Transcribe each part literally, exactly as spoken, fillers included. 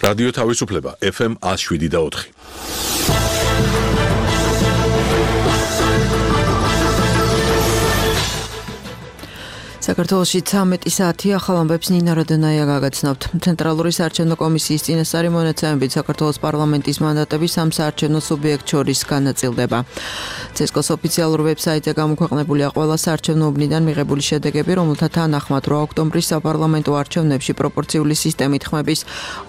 რადიო თავისუფლება ეფ ემ ათს შვიდი და ოთხი. საქართველოში ცამეტი საათი ახალ ამბებს ნინა როდენაია გაგაცნობთ. ცენტრალური საარჩევნო კომისიის წინასწარი მონაცემებით საქართველოს პარლამენტის მანდატები სამ საარჩევნო სუბიექტ შორის განაწილდება. ცესკოს ოფიციალურ ვებსაიტზე გამოქვეყნებულია ყველა საარჩევნო უბნიდან მიღებული შედეგები, რომელთა თანახმად რვა ოქტომბრის საპარლამენტო არჩევნებში პროპორციული სისტემით ხმების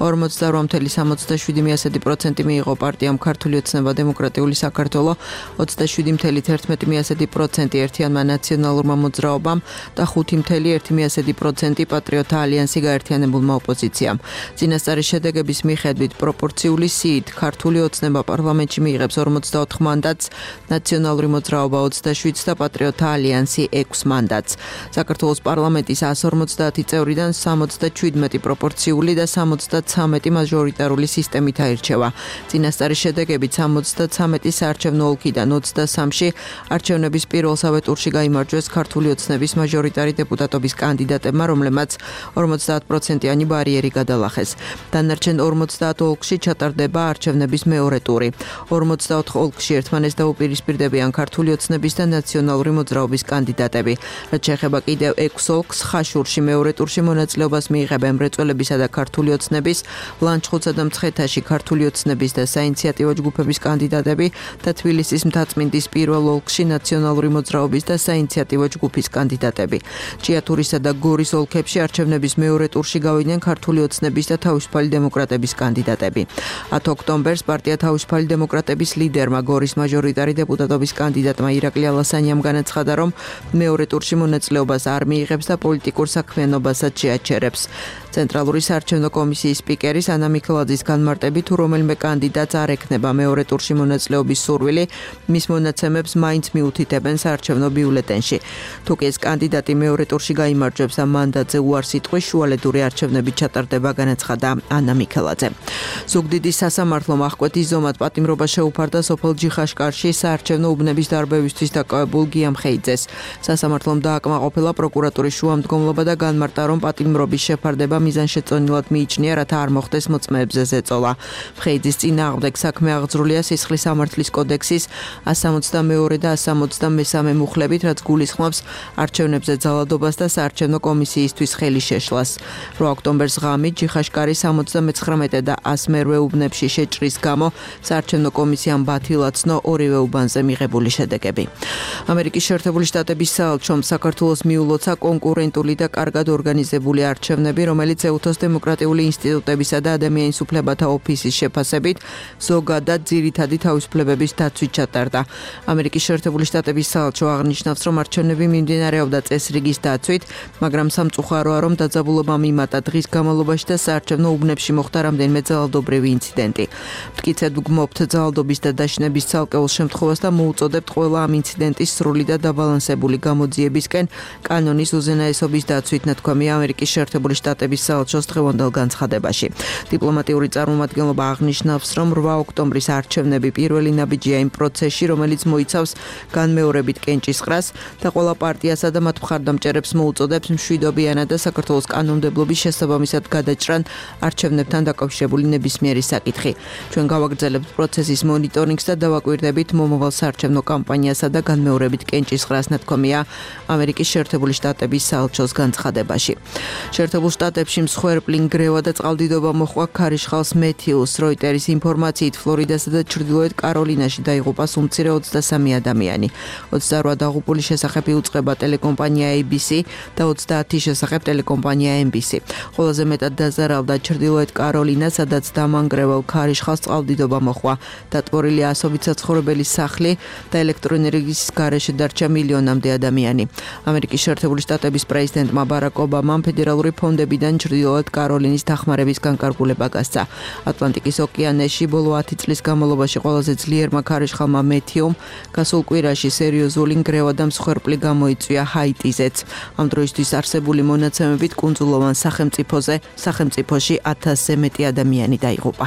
ორმოცდარვა წუთი სამოცდაშვიდი პროცენტი მიიღო პარტიამ ქართული ოცნება დემოკრატიული საქართველო, ოცდაშვიდი ერთ პროცენტი ერთიანმა ნაციონალურმა მოძრაობამ და ხუთი ერთი პროცენტი პატრიოტთა ალიანსი გაერთიანებულმა ოპოზიციამ. წინასწარი შედეგების მიხედვით პროპორციული სიით ქართული ოცნება პარლამენტში მიიღებს ორმოცდაოთხ მანდატს, ნაციონალური მოძრაობა ოცდაშვიდს და პატრიოტთა ალიანსი ექვს მანდატს. საქართველოს პარლამენტის ასი ორმოცდაათი წევრიდან სამოცდაშვიდი პროპორციული და სამოცდაცამეტი მაჟორიტარული სისტემით აირჩევა. წინასწარი შედეგებით სამოცდაცამეტი საარჩევნო ოლქიდან ოცდასამში არჩევნების პირველსავე ტურში გაიმარჯვეს ქართული ოცნების მაჟორიტარი დეპუტატობის კანდიდატებმა, რომლებმაც ორმოცდაათ პროცენტიანი ბარიერი გადალახეს. დანარჩენ ორმოცდაათ ოლქში ჩატარდება არჩევნების მეორე ტური. ორმოცდაოთხ ოლქში ერთმანეთს დაუპირისპირდებიან ქართული ოცნების და ნაციონალური მოძრაობის კანდიდატები. რაც შეეხება კიდევ ექვს ოლქს, ხაშურში მეორე ტურში მონაწილეობას მიიღებენ მრეწველებისა და ქართული ოცნების, ლანჩხუთსა და მცხეთაში ქართული ოცნების და საინიციატივო ჯგუფების კანდიდატები და თბილისის მთაწმინდის პირველ ოლქში ნაციონალური მოძრაობის და საინიციატივო ჯგუფის კანდიდატები. ჭიათურისა და გორის ოლქებში არჩევნების მეორე ტურში გავიდნენ ქართული ოცნების და თავისუფალი დემოკრატების კანდიდატები. ათი ოქტომბერს პარტია თავისუფალი დემოკრატების ლიდერმა გორის მაჟორიტარი დეპუტატობის კანდიდატმა ირაკლი ალასანიამ განაცხადა, რომ მეორე ტურში მონაწილეობას არ მიიღებს და პოლიტიკურ საქმიანობასაც შეაჩერებს. ცენტრალური საარჩევნო კომისიის სპიკერის ანა მიქელაძის განმარტებით, თუ რომელიმე კანდიდატს არ ექნება მეორე ტურში მონაწილეობის სურვილი, მის მონაცემებს მაინც მიუთითებენ საარჩევნო ბიულეტენში. თუ კი ეს კანდიდატი მეორე ტურში გაიმარჯვებს და მანდატზე უარს იტყვის, შუალედური არჩევნები ჩატარდება, განაცხადა ანა მიქელაძე. ზუგდიდის სასამართლომ აღკვეთის ზომად პატიმრობა შეუფარდა სოფელ ჯიხაშკარში საარჩევნო უბნების დარბევისთვის დაკავებულ გია მხეიძეს. სასამართლომ დააკმაყოფილა პროკურატურის შუამდგომლობა და განმარტა, რომ პატიმრობის შეფარდება მიზანშეწონილად მიიჩნია, რათა არ მოხდეს მოწმეებზე ზეწოლა. მხეიძის წინააღმდეგ საქმე აღძრულია სისხლის სამართლის კოდექსის ასი სამოცდამეორე და ასი სამოცდამესამე მუხლებით, რაც გულისხმობს არჩევნებზე ძალადობას და საარჩევნო კომისიისთვის ხელის შეშლას. რვა ოქტომბერს ღამით ჯიხაშკარის სამოცდამეცხრამეტე და ასი მერვე უბნებში შეჭრის გამო საარჩევნო კომისიამ ბათილაცნო ორივე უბანზე მიღებული შედეგები. ამერიკის შეერთებული შტატების საელჩომ საქართველოს მიულოცა კონკურენტული და კარგად ორგანიზებული არჩევნები, რომელიც ეუთოს დემოკრატიული ინსტიტუტებისა და ადამიანის უფლებათა ოფისის შეფასებით ზოგადად ძირითადი თავისუფლებების დაცვით ჩატარდა. ამერიკის შეერთებული შტატების საელჩო აღნიშნავს, რომ არჩევნები მიმდინარეობდა წესრიგის დაცვით, მაგრამ სამწუხაროა, რომ დაძაბულობა მიმატა დღის განმავლობაში და საარჩევნო უბნებში მოხდა რამდენიმე ძალადობრივი ინციდენტი. მტკიცედ ვგმობთ ძალადობის და დაშინების ცალკეულ შემთხვევას და მოუწოდებთ ყველა ამ ინციდენტის სრული და დაბალანსებული გამოძიებისკენ კანონის უზენაესობის დაცვით, ნათქვამია ამერიკის შეერთებული შტატების საელჩოს დღევანდელ განცხადებაში. დიპლომატიური წარმომადგენლობა აღნიშნავს, რომ რვა ოქტომბრის არჩევნები პირველი ნაბიჯია იმ პროცესში, რომელიც მოიცავს განმეორებით კენჭისყრას და ყველა პარტიასა და მათ მხარდამჭერებს მოუწოდებს მშვიდობიანად და საქართველოს კანონმდებლობის შესაბამისად გადაჭრან არჩევნებთან დაკავშირებული ნებისმიერი საკითხი. ჩვენ გავაგრძელებთ პროცესის მონიტორინგს და დავაკვირდებით მომავალ საარჩევნო კამპანიასა და განმეორებით კენჭისყრას, ნათქვამია ამერიკის შეერთებული შტატების საელჩოს განცხადებაში. შეერთებულ შტატებში მსხვერპლი ნგრევა და წყალდიდობა მოჰყვა ქარიშხალს მეთიუს. როიტერის ინფორმაციით ფლორიდასა და ჩრდილოეთ კაროლინაში დაიღუპა სუმცირე ოცდასამი ადამიანი. ოცდარვა დაღუპული შესახებ იუწყება ტელეკომპანია ეი ბი სი და ოცდაათი შესახებ ტელეკომპანია ემ ბი სი. ყველაზე მეტად დაზარავდა ჩრდილოეთ კაროლინა, სადაც დამანგრევალ ქარიშხალს წყალდიდობა მოჰყვა. დატბორილია ასობით საცხოვრებელი სახლი და ელექტროენერგიის გარეშე დარჩა მილიონამდე ადამიანი. ამერიკის შეერთებული შტატების პრეზიდენტმა ბარაკ ობამამ ფედერალური ფონდებიდან ჩრდილოეთ კაროლინის დახმარების განკარგულება გასცა. ატლანტიკის ოკეანეში ბოლო ათი წლის განმავლობაში ყველაზე ძლიერმა ქარიშხალმა მეთიუმ გასულ კვირაში სერიოზული ნგრევა და მსხვერპლი გამოიწვია ჰაიტიზეც. ამ დროისთვის არსებული მონაცემებით კუნძულოვან სახელმწიფოზე სახელმწიფოში ათასზე მეტი ადამიანი დაიღუპა.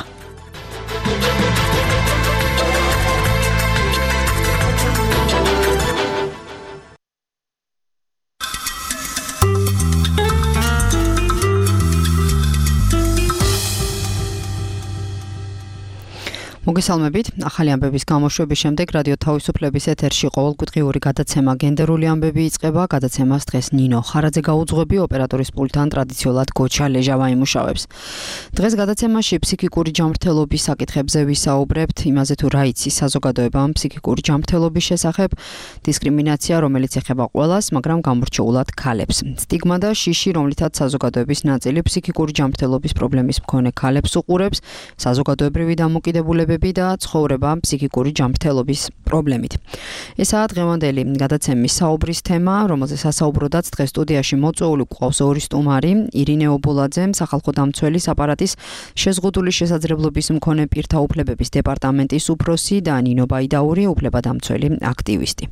მოგესალმებით. ახალი ამბების გამოშვების შემდეგ რადიო თავისუფლების ეთერში ყოველკვირეული გადაცემა გენდერული ამბები იწყება. გადაცემას დღეს ნინო ხარაძე გაუძღვები, ოპერატორის პულტთან ტრადიციულად გოჩა ლეჟავა იმუშავებს. დღეს გადაცემაში ფსიქიკური ჯანმრთელობის საკითხებზე ვისაუბრებთ, იმაზე თუ რა იცის საზოგადოებამ ფსიქიკური ჯანმრთელობის შესახებ, დისკრიმინაცია, რომელიც ეხება ყველას, მაგრამ გამორჩეულად ქალებს. სტიგმა და შიში, რომლითაც საზოგადოების ნაწილი ფსიქიკური ჯანმრთელობის პრობლემის მქონე ქალებს უყურებს, საზოგადოებრივი დამოკიდებულებები და ცხოვრება ფსიქიკური ჯანმრთელობის პრობლემით. ესაა დღევანდელი გადაცემის საუბრის თემა, რომელზეც სასაუბროდაც დღეს სტუდიაში მოწვეული გვყავს ორი სტუმარი, ირინე ობოლაძე, სახალხო დამცველის აპარატის შეზღუდული შესაძლებლობის მქონე პირთა უფლებების დეპარტამენტის უფროსი და ნინო ბაიდაური, უფლებადამცველი აქტივისტი.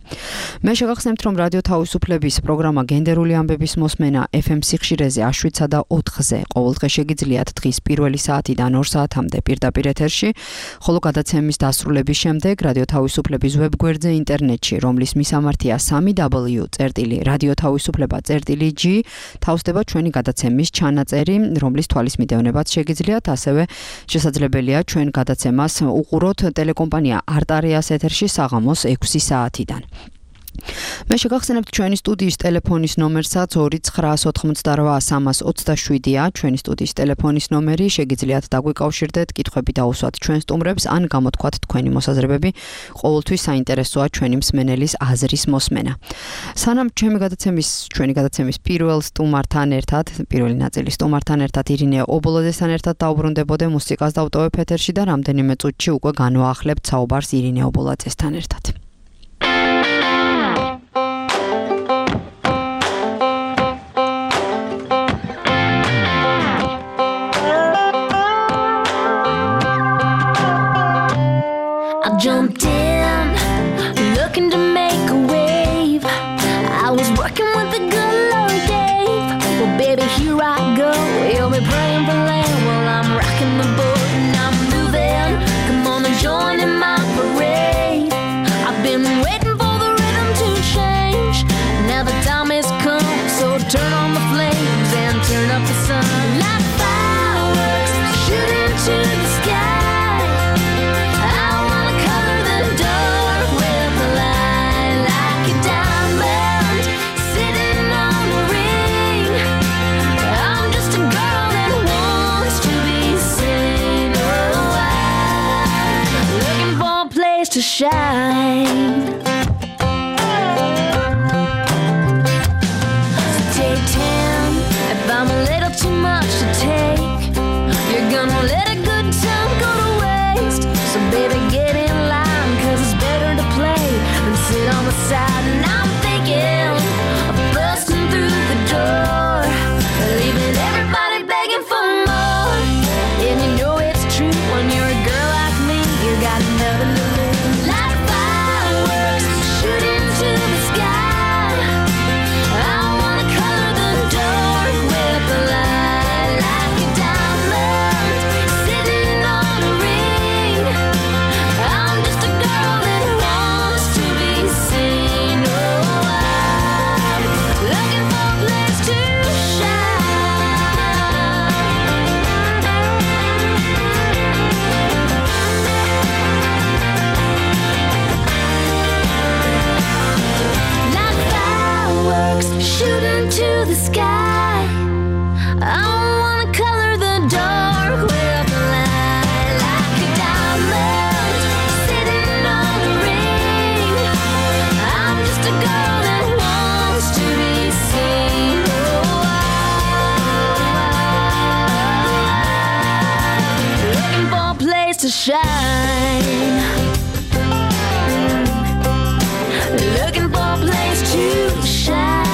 მე შეგახსენებთ, რომ რადიო თავისუფლების პროგრამა გენდერული ამბების მოსმენა ეფ ემ სიხშირეზე შვიდსა და ოთხზე ყოველდღე შეგიძლიათ დღის პირველი საათიდან ორ საათამდე პირდაპირ ეთერში, ხოლო გადაცემის დასრულების შემდეგ რადიო თავისუფლების ვებგვერდზე ინტერნეტში, რომლის მისამართია სამი დაბლიუ წერტილი რადიო თავისუფლება წერტილი ჯი, თავსდება ჩვენი გადაცემის ჩანაწერი, რომლის თვალის მიდევნებაც შეგიძლიათ, ასევე შესაძლებელია ჩვენ გადაცემას უყუროთ ტელეკომპანია არტარიას ეთერში საღამოს ექვსი საათიდან. მე შეგახსენებთ ჩვენი სტუდიის ტელეფონის ნომერსაც ორი ცხრა ოთხმოცდარვა სამას ოცდაშვიდია, ჩვენი სტუდიის ტელეფონის ნომერი, შეგიძლიათ დაგვიკავშირდეთ, კითხვები დაუსვათ ჩვენ სტუმრებს, ან გამოთქვათ თქვენი მოსაზრებები, ყოველთვის საინტერესოა ჩვენი მსმენელის აზრის მოსმენა. სანამ ჩემი გადაცემის, ჩვენი გადაცემის პირველ სტუმართან ერთად, პირველი ნაწილის სტუმართან ერთად ირინე ობოლაძესთან ერთად დავბრუნდებოდე, მუსიკას დავტოვებ ეთერში და რამდენიმე წუთში უკვე განვაახლებთ საუბარს ირინე ობოლაძესთან ერთად. Jumped in, looking to make a wave. I was working with the good Lord gave. Well, baby, here I go. You'll be praying for land while I'm rocking the boat and I'm moving. Come on and join in my parade. I've been waiting for the rhythm to change. Now the time has come, so turn on the flames and turn up the sun. Like fireworks shooting to the sky. To shine. So take ten. If I'm a little too much to take, you're gonna let a good time go to waste. So baby, get in line, cause it's better to play than sit on the side. And I'm thinking of busting through the door, leaving everybody begging for more. And you know it's true, when you're a girl like me, you got nothing to lose. Shooting to the sky. I wanna color the dark with the light, like a diamond sitting on the ring. I'm just a girl that wants to be seen. Oh, looking for a place to shine. Looking for a place to shine.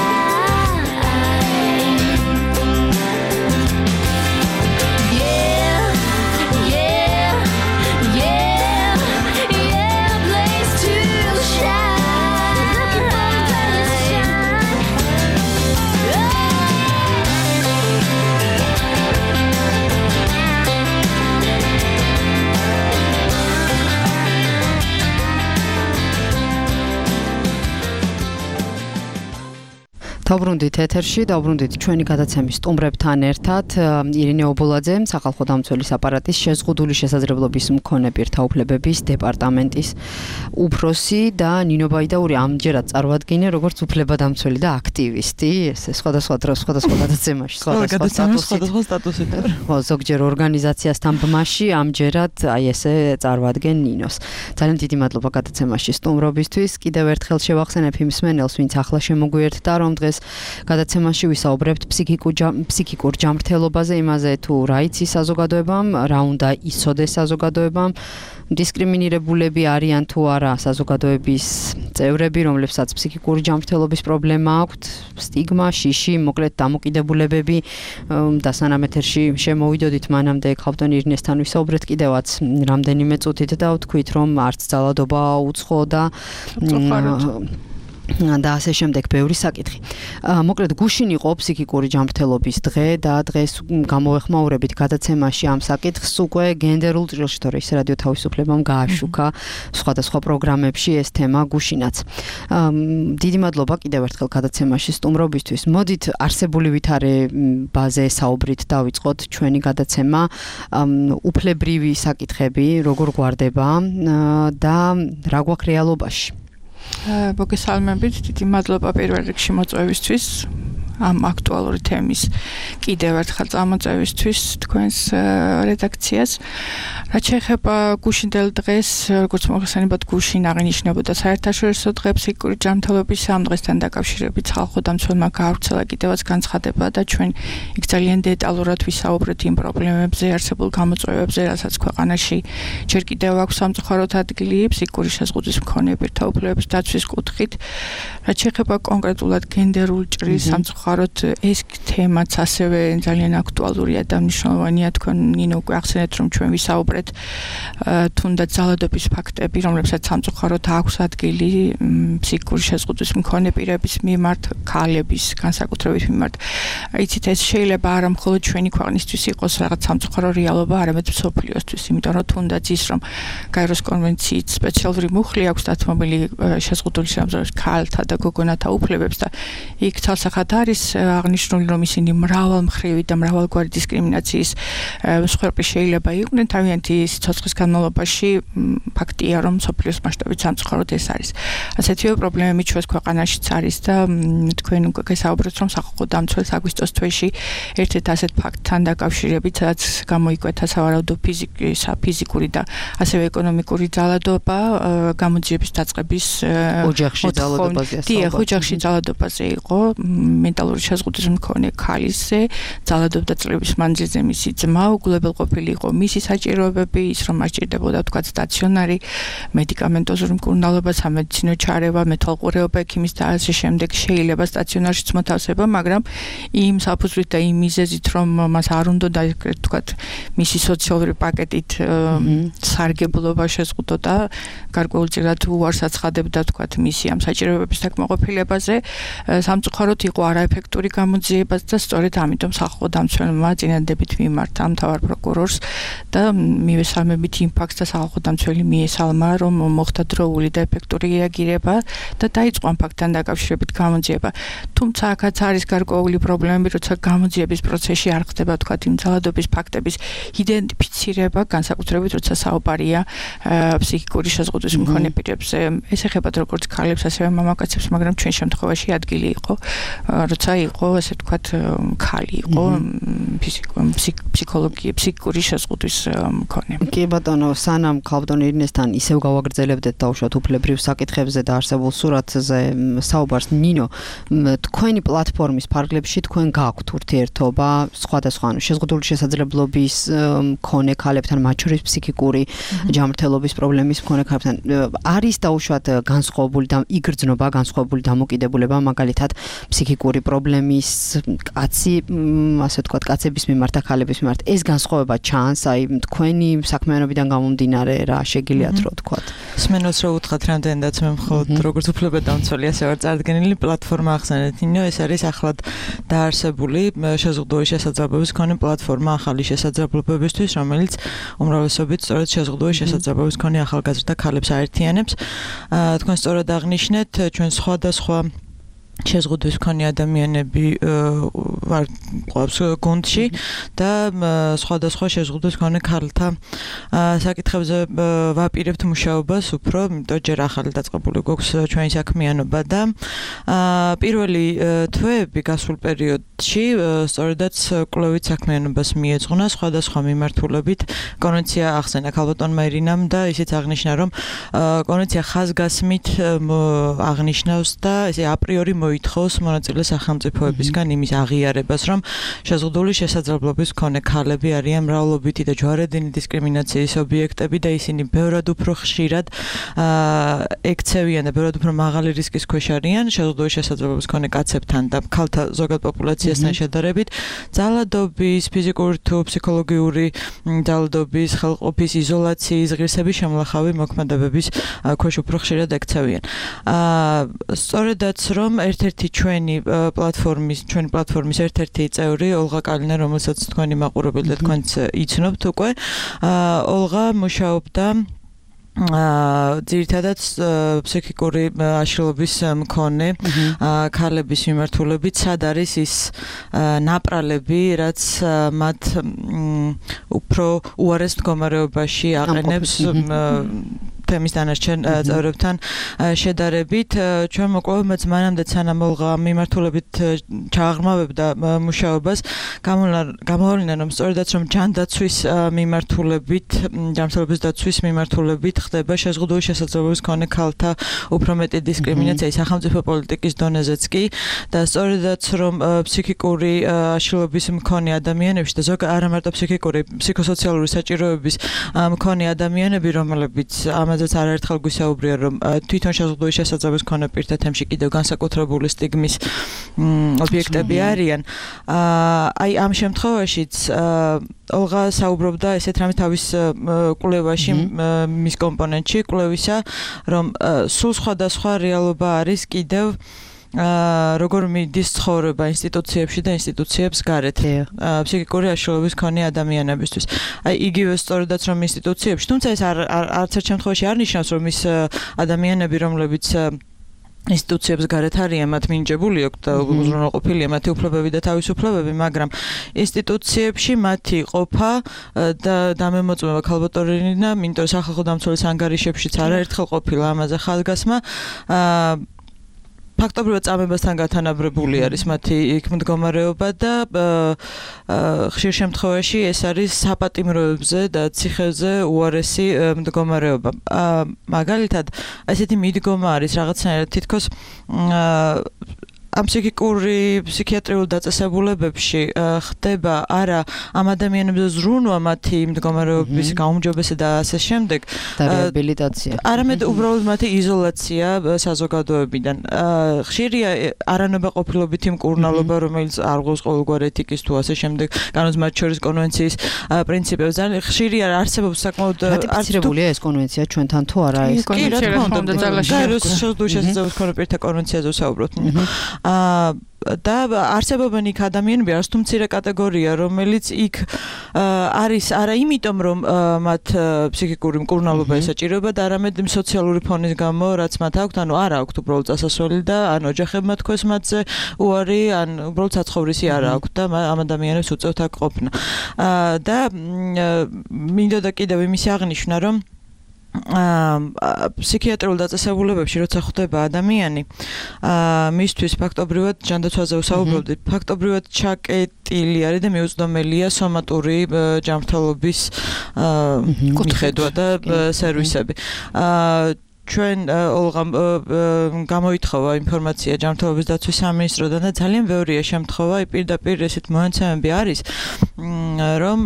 დავბრუნდით ეთერში, დავბრუნდით ჩვენი გადაცემის სტუმრებთან ერთად. ირინე ობოლაძე, სახალხო დამცველის აპარატის შეზღუდული შესაძლებლობის მქონე პირთა უფლებების დეპარტამენტის უფროსი და ნინო ბაიდაური ამჯერად წარმოადგინე როგორც უფლებადამცველი და აქტივისტი. ეს სხვადასხვა დროს, სხვადასხვა გადაცემაში, სხვადასხვა სტატუსით. ხო, ზოგჯერ ორგანიზაციასთან ბმაში ამჯერად აი ესე წარმოადგენ ნინოს. ძალიან დიდი მადლობა გადაცემაში სტუმრობისთვის. კიდევ ერთხელ შევახსენებ იმ მსმენელს, ვინც ახლა შემოგვიერთდა, რომ დღეს გადაცემაში ვისაუბრებთ ფსიქიკურ ჯანმრთელობაზე, იმაზე თუ რა იცის საზოგადოებამ, რა უნდა იცოდეს საზოგადოებამ, დისკრიმინირებულები არიან თუ არა საზოგადოების წევრები, რომლებსაც ფსიქიკური ჯანმრთელობის პრობლემა აქვთ, სტიგმა, შიში, მოკლედ დამოკიდებულებები და სანამ ეთერში შემოვიდოდით, მანამდე ქავტონ ირინესთან ვისაუბრეთ კიდევაც რამდენიმე წუთით და ვთქვით, რომ არც ძალადობა უცხო და და ასე შემდეგ ბევრი საკითხი. მოკლედ გუშინ იყო ფსიქიკური ჯანმრთელობის დღე და დღეს გამოვეხმაურებით გადაცემაში ამ საკითხს უკვე გენდერულ ჭრილშთორე რადიო თავისუფლებამ გააშუქა სხვადასხვა პროგრამებში ეს თემა გუშინაც. დიდი მადლობა კიდევ ერთხელ გადაცემაში სტუმრობისთვის. მოდით არსებული ვითარებაზე საუბრით დავიწყოთ ჩვენი გადაცემა. უფლებრივი საკითხები როგორ გვარდება და რა გვაქვს რეალობაში. მოგესალმებით, დიდი მადლობა პირველ რიგში მოწვევისთვის, ამ აქტუალური თემის კიდევ ერთხელ წამოწევისთვის თქვენს რედაქციას. რაც შეეხება გუშინდელ დღეს, როგორც მოხსენებათ, გუშინ აღინიშნებოდა საერთაშორისო დღე ფსიქიკური ჯანმრთელობის ამ დღესთან დაკავშირებით ხალხო დამცველმა გაავრცელა კიდევაც განცხადება და ჩვენ იქ ძალიან დეტალურად ვისაუბრეთ იმ პრობლემებზე, არსებულ გამოწვევებზე, რასაც ქვეყანაში ჯერ კიდევ აქვს სამწუხაროდ ადგილი ფსიქიკური შეზღუდვის მქონე პირთა უფლებების დაცვის კუთხით. რაც შეეხება კონკრეტულად გენდერულ ჭრილს, სამწუხაროდ ეს თემაც ასევე ძალიან აქტუალურია და მნიშვნელოვანია. თქვენ ნინო უკვე ახსენეთ, რომ ჩვენ ვისაუბრეთ თუნდაც ძალადობის ფაქტები, რომლებსაც სამწუხაროდ აქვს ადგილი ფსიქიკური შეზღუდვის მქონე პირების მიმართ, ქალების განსაკუთრებით მიმართ. იცით, ეს შეიძლება არა მხოლოდ ჩვენი ქვეყნისთვის იყოს რაღაც სამწუხარო რეალობა, არამედ მსოფლიოსთვის, იმიტომ რომ თუნდაც ის, რომ გაეროს კონვენციით სპეციალური მუხლი აქვს დათმობილი შეზღუდული შემთხვევაში ქალთა და გოგონათა უფლებებს და იქ თალსახად არის აღნიშნული, რომ ისინი მრავალმხრივი და მრავალგვარი დისკრიმინაციის მსხვერპლი შეიძლება იყვნენ თავიანთი სიცოცხლის განმავლობაში. ფაქტია, რომ მსოფლიოს მასშტაბით სამწუხაროდ ეს არის. ასეთივე პრობლემები ჩვენს ქვეყანაშიც არის და თქვენ უკვე გესაუბრეთ, რომ სახალხო დამცველს აგვისტოს თვეში ერთ-ერთ ასეთ ფაქტთან დაკავშირებით, რაც გამოიკვეთა სავარაუდო ფიზიკური და ასევე ეკონომიკური ძალადობა, გამოძიების დაწყების ოჯახში ძალადობაზე. დიახ, ოჯახში ძალადობაზე იყო, მენტალური შეზღუდვის მქონე ქალიზე, ძალადობდა წლების მანძილზე მისი ძმა, უგულებელყოფილი იყო მისი საჭიროებები, ის რომ არ ჭირდებოდა თქვა სტაციონარი მედიკამენტოზური მკურნალობა, სამედიცინო ჩარევა, მეთვალყურეობა ექიმის და ასე შემდეგ. შეიძლება სტაციონარშიც მოთავსება, მაგრამ იმ საფუძვლით და იმ მიზეზით, რომ მას არ უნდა თქვა მისი სოციალური პაკეტით სარგებლობა შეზღუდოდა, გარკვეულწილად უარს აცხადებდა თქვა მისი ამ საჭიროებების დაკმაყოფილებაზე. სამწუხაროდ იყო არაეფექტური გამოძიება და სწორედ ამიტომ სახალხო დამცველმა წინადადებით მიმართა მთავარ პროკურორს და მივესალმებით იმ ფაქტს და სახალხო დამცველი მიესალმა, რომ მოხდა დროული და ეფექტური რეაგირება და დაიწყო ამ ფაქტთან დაკავშირებით გამოძიება. თუმცა აქაც არის გარკვეული პრობლემები, როცა გამოძიების პროცესში არ ხდება თქვა იმ ძალადობის ფაქტების იდენტიფიცირება, განსაკუთრებით როცა საუბარია ფსიქიკური შეზღუდვის მქონე პირებზე. ეს ეხება როგორც ქალებს, ასევე მამაკაცებს, მაგრამ ჩვენ შემთხვევაში ადგილი იყო, როცა იყო ასე თქვა ქალი იყო ფსიქოლოგია, ფსიქიკური შეზღუდვის მქონე. კი ბატონო, სანამ ქავტონ ირინესთან ისევ გავაგრძელებდეთ დაუშვათ უფლებრივ საკითხებზე და არსებულ სურათზე საუბარს, ნინო, თქვენი პლატფორმის ფარგლებში თქვენ გაქვთ ურთიერთობა სხვადასხვა შეზღუდული შესაძლებლობის მქონე ქალებთან, მათ შორის ფსიქიკური ჯანმრთელობის პრობლემის მქონე ქალებთან. არის დაუშვათ განსხვავებული და იგრძნობა განსხვავებული დამოკიდებულება, მაგალითად ფსიქიკური პრობლემის კაცი, ასე ვთქვათ, კაცების მიმართ და ქალების მიმართ. ეს განსხვავება ჩანს, აი თქვენი საქმიანობიდან გამომდინარე რა შეგიძლიათ რო ვთქვათ. სმენელს რო უთხრათ რამდენადაც მე მხოლოდ როგორც უფლებადამცველი ასე ვარ წარდგენილი პლატფორმა ახსენეთ, ნინო, ეს არის ახლად დაარსებული შეზღუდული შესაძლებლობის მქონე პლატფორმა ახალი შესაძლებლობებისთვის, რომელიც უმრავლესობით სწორედ შეზღუდული შესაძლებლობის მქონე ახალგაზრდა ქალებს აერთიანებს. თქვენ სწორად აღნიშნეთ, ჩვენ სხვადასხვა შეზღუდვის მქონე ადამიანები ვარ ყავს გუნდში და სხვადასხვა შეზღუდვის მქონე ქალთა საკითხებზე ვაპირებთ მუშაობას უფრო, იმიტომ ჯერ ახალი დაწყებული გვაქვს ჩვენი საქმიანობა და პირველი თვეები გასულ პერიოდში სწორედაც კვლევით საქმიანობას მიეძღვნა სხვადასხვა მიმართულებით. კონვენცია ახსენა ქალბატონმა ირინამ და ისიც აღნიშნა, რომ კონვენცია ხაზგასმით აღნიშნავს და ესე აპრიორი მოითხოვს მონაწილე სახელმწიფოებისგან იმის აღიარებას, რომ შეზღუდული შესაძლებლობის მქონე ქალები არიან მრავლობითი და ჯვარედინი დისკრიმინაციის ობიექტები და ისინი ბევრად უფრო ხშირად ექცევიან და ბევრად უფრო მაღალი რისკის ქვეშ არიან შეზღუდული შესაძლებლობის მქონე კაცებთან და ქალთა ზოგად პოპულაციასთან შედარებით. ძალადობის, ფიზიკური თუ ფსიქოლოგიური ძალადობის, ხელყოფის, იზოლაციის, ღირსების შემლახავი მოქმედებების ქვეშ უფრო ხშირად ექცევიან. სწორედაც რომ ერთ-ერთი ჩვენი პლატფორმის, ჩვენი პლატფორმის ერთ-ერთი წევრი ოლღა კალინა, რომელსაც თქვენი მაყურებელი და თქვენც იცნობთ უკვე, ოლღა მუშაობდა ძირითადად ფსიქიკური აშლილობის მქონე ქალების მიმართულებით, სად არის ის ნაპრალები, რაც მათ უფრო უარეს მდგომარეობაში აყენებს თემის დანარჩენ წევრებთან შედარებით. ჩვენ მოკვლევებმაც მანამდე სანამ ოლღა მიმართულებით ჩააღრმავებდა მუშაობას, გამოავლინა, რომ სწორედაც რომ ჯანდაცვის მიმართულებით, ჯანმრთელობის დაცვის მიმართულებით ხდება შეზღუდული შესაძლებლობის მქონე ქალთა უფრო მეტი დისკრიმინაცია სახელმწიფო პოლიტიკის დონეზეც კი და სწორედაც რომ ფსიქიკური აშლილობის მქონე ადამიანებში და ზოგადად არა მარტო ფსიქიკური, ფსიქოსოციალური საჭიროების მქონე ადამიანები, რომლებიც ამაზეც არაერთხელ გვისაუბრია, რომ თვითონ შეზღუდული შესაძლებლობის მქონე პირთა თემში კიდევ განსაკუთრებული სტიგმის ობიექტები არიან. აი ამ შემთხვევაშიც ოლღა საუბრობდა ესეთ რამე თავის კვლევაში, მის კომპონენტში კვლევისა, რომ სულ სხვადასხვა რეალობა არის კიდევ როგორ მიდის ცხოვრება ინსტიტუციებში და ინსტიტუციებს გარეთ ფსიქიკური აშლილობის მქონე ადამიანებისთვის. აი იგივე სწორედაც რომ ინსტიტუციებში, თუმცა ეს არც ერთ შემთხვევაში არ ნიშნავს, რომ ის ადამიანები, რომლებიც ინსტიტუციებს გარეთ არიან, მათ მინიჭებული აქვთ და უზრუნველყოფილია მათი უფლებები და თავისუფლებები, მაგრამ ინსტიტუციებში მათი ყოფა და დამემოწმება ქალბატონინა, იმიტომ რომ სახალხო დამცველის ანგარიშებშიც არაერთხელ ყოფილა ამაზე ხაზგასმა, ფაქტობრივად წამებასთან გათანაბრებული არის მათი იქ მდგომარეობა და ხშირ შემთხვევაში ეს არის საპატიმროებზე და ციხეზე უარესი მდგომარეობა. მაგალითად, ესეთი მიდგომა არის რაღაცნაირად თითქოს ამ ფსიქიკური, ფსიქიატრიულ დაწესებულებებში ხდება არა ამ ადამიანებზე ზრუნვა მათი მდგომარეობის გაუმჯობესება და ასე შემდეგ და რეაბილიტაცია. არამედ უბრალოდ მათი იზოლაცია საზოგადოებიდან. ხშირია არანობა ყოფილობითი მკურნალობა, რომელიც არ გვყავს ყოველგვარ ეთიკის თუ ასე შემდეგ, განოც მათ შორის კონვენციის პრინციპებს. ხშირია არსებობს საკმაოდ რატიფიცირებულია ეს კონვენცია ჩვენთან თუ არა ეს? კი, რა თქმა უნდა, გაეროს შეზღუდული შესაძლებლობის მქონე პირთა კონვენციაზე ვსაუბრობთ. და არსებობენ იქ ადამიანები, არც თუ მცირე კატეგორია, რომელიც იქ არის არა იმიტომ, რომ მათ ფსიქიკური მკურნალობა ესაჭიროება და არამედ სოციალური ფონის გამო, რაც მათ აქვთ, ანუ არ აქვთ უბრალოდ წასასვლელი და ან ოჯახებმა თქვეს მათზე უარი, ან უბრალოდ საცხოვრისი არ აქვთ და ამ ადამიანებს უწევთ აქ ყოფნა. და მინდოდა კიდევ იმის აღნიშვნა, რომ ფსიქიატრიულ დაწესებულებებში როცა ხვდება ადამიანი, მისთვის ფაქტობრივად ჯანდაცვაზე ვსაუბრობდით, ფაქტობრივად ჩაკეტილი არის და მიუწვდომელია სომატური ჯანმრთელობის მიხედვა და სერვისები. ჩვენ ოლღამ გამოითხოვა ინფორმაცია ჯანმრთელობის დაცვის სამინისტროდან და ძალიან ბევრია შემთხვევა, პირდაპირ ესეთ მონაცემები არის, რომ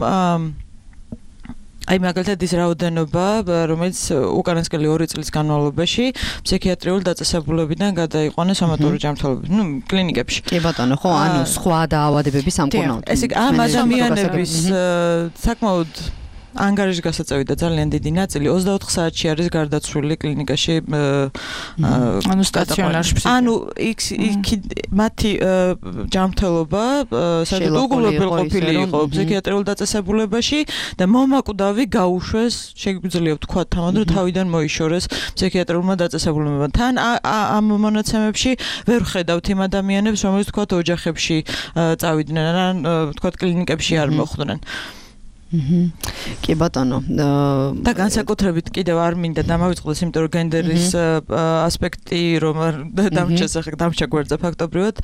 აი მაგალითად ის რაოდენობა, რომელიც უკანასკნელი ორი წლის განმავლობაში ფსიქიატრიულ დაწესებულებიდან გადაიყვანეს სომატური ჯანმრთელობის, ნუ კლინიკებში. კი ბატონო, ხო, ანუ სხვა დაავადებების სამკურნალოდ. ესე ამ ადამიანების საკმაოდ ანგარიშის გასაწევი და ძალიან დიდი ნაწილი ოცდაოთხ საათში არის გარდაცვლილი კლინიკაში ანუ სტაციონარში. ანუ იქ მათი ჯანმრთელობა სადაც უგულებელყოფილი იყო ფსიქიატრიულ დაწესებულებაში და მომაკვდავი გაუშვეს, შეგვიძლია ვთქვა თამად რომ თავიდან მოიშორეს ფსიქიატრიულმა დაწესებულებებმა. თან ამ მონაცემებში ვერ ხედავთ იმ ადამიანებს, რომელიც თქვა ოჯახებში წავიდნენ ან თქვა კლინიკებში არ მოხვდნენ. კი ბატონო და განსაკუთრებით კიდევ არ მინდა დამავიწყდეს, იმიტომ რომ გენდერის ასპექტი რომ დამჭეს ახლა დამჭა გვერდზე ფაქტობრივად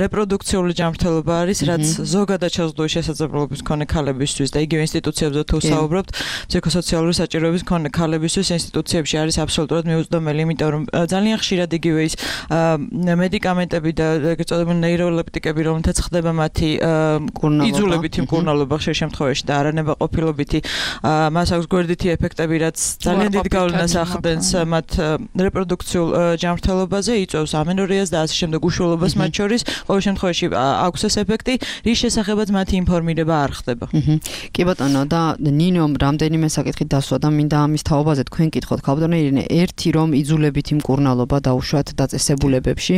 რეპროდუქციული ჯანმრთელობა არის, რაც ზოგადად შეზღუდული შესაძლებლობის მქონე ქალებისთვის და იგივე ინსტიტუციებზე თუ საუბრობთ, ფსიქოსოციალური საჭიროების მქონე ქალებისთვის ინსტიტუციებში არის აბსოლუტურად მიუწვდომელი, იმიტომ რომ ძალიან ხშირად იგივე ის მედიკამენტები და ეგრეთ წოდებული ნეიროლეპტიკები, რომელთაც ხდება მათი იძულებითი მკურნალობა ხშირ შემთხვევაში და არანებაყოფილობითი მას აქვს გვერდითი ეფექტები, რაც ძალიან დიდ გავლენას ახდენს მათ რეპროდუქციულ ჯანმრთელობაზე, იწვევს ამენორიას და ასე შემდეგ უშუალობას მათ შორის. ყოველ შემთხვევაში აქვს ეს ეფექტი, რის შესახებაც მათი ინფორმირება არ ხდება. კი ბატონო და ნინომ რამდენიმე საკითხი დასვა და მინდა ამის თაობაზე თქვენ კითხოთ, ქალბატონო ირინე, ერთი რომ იძულებითი მკურნალობა დაუშვათ დაწესებულებებში,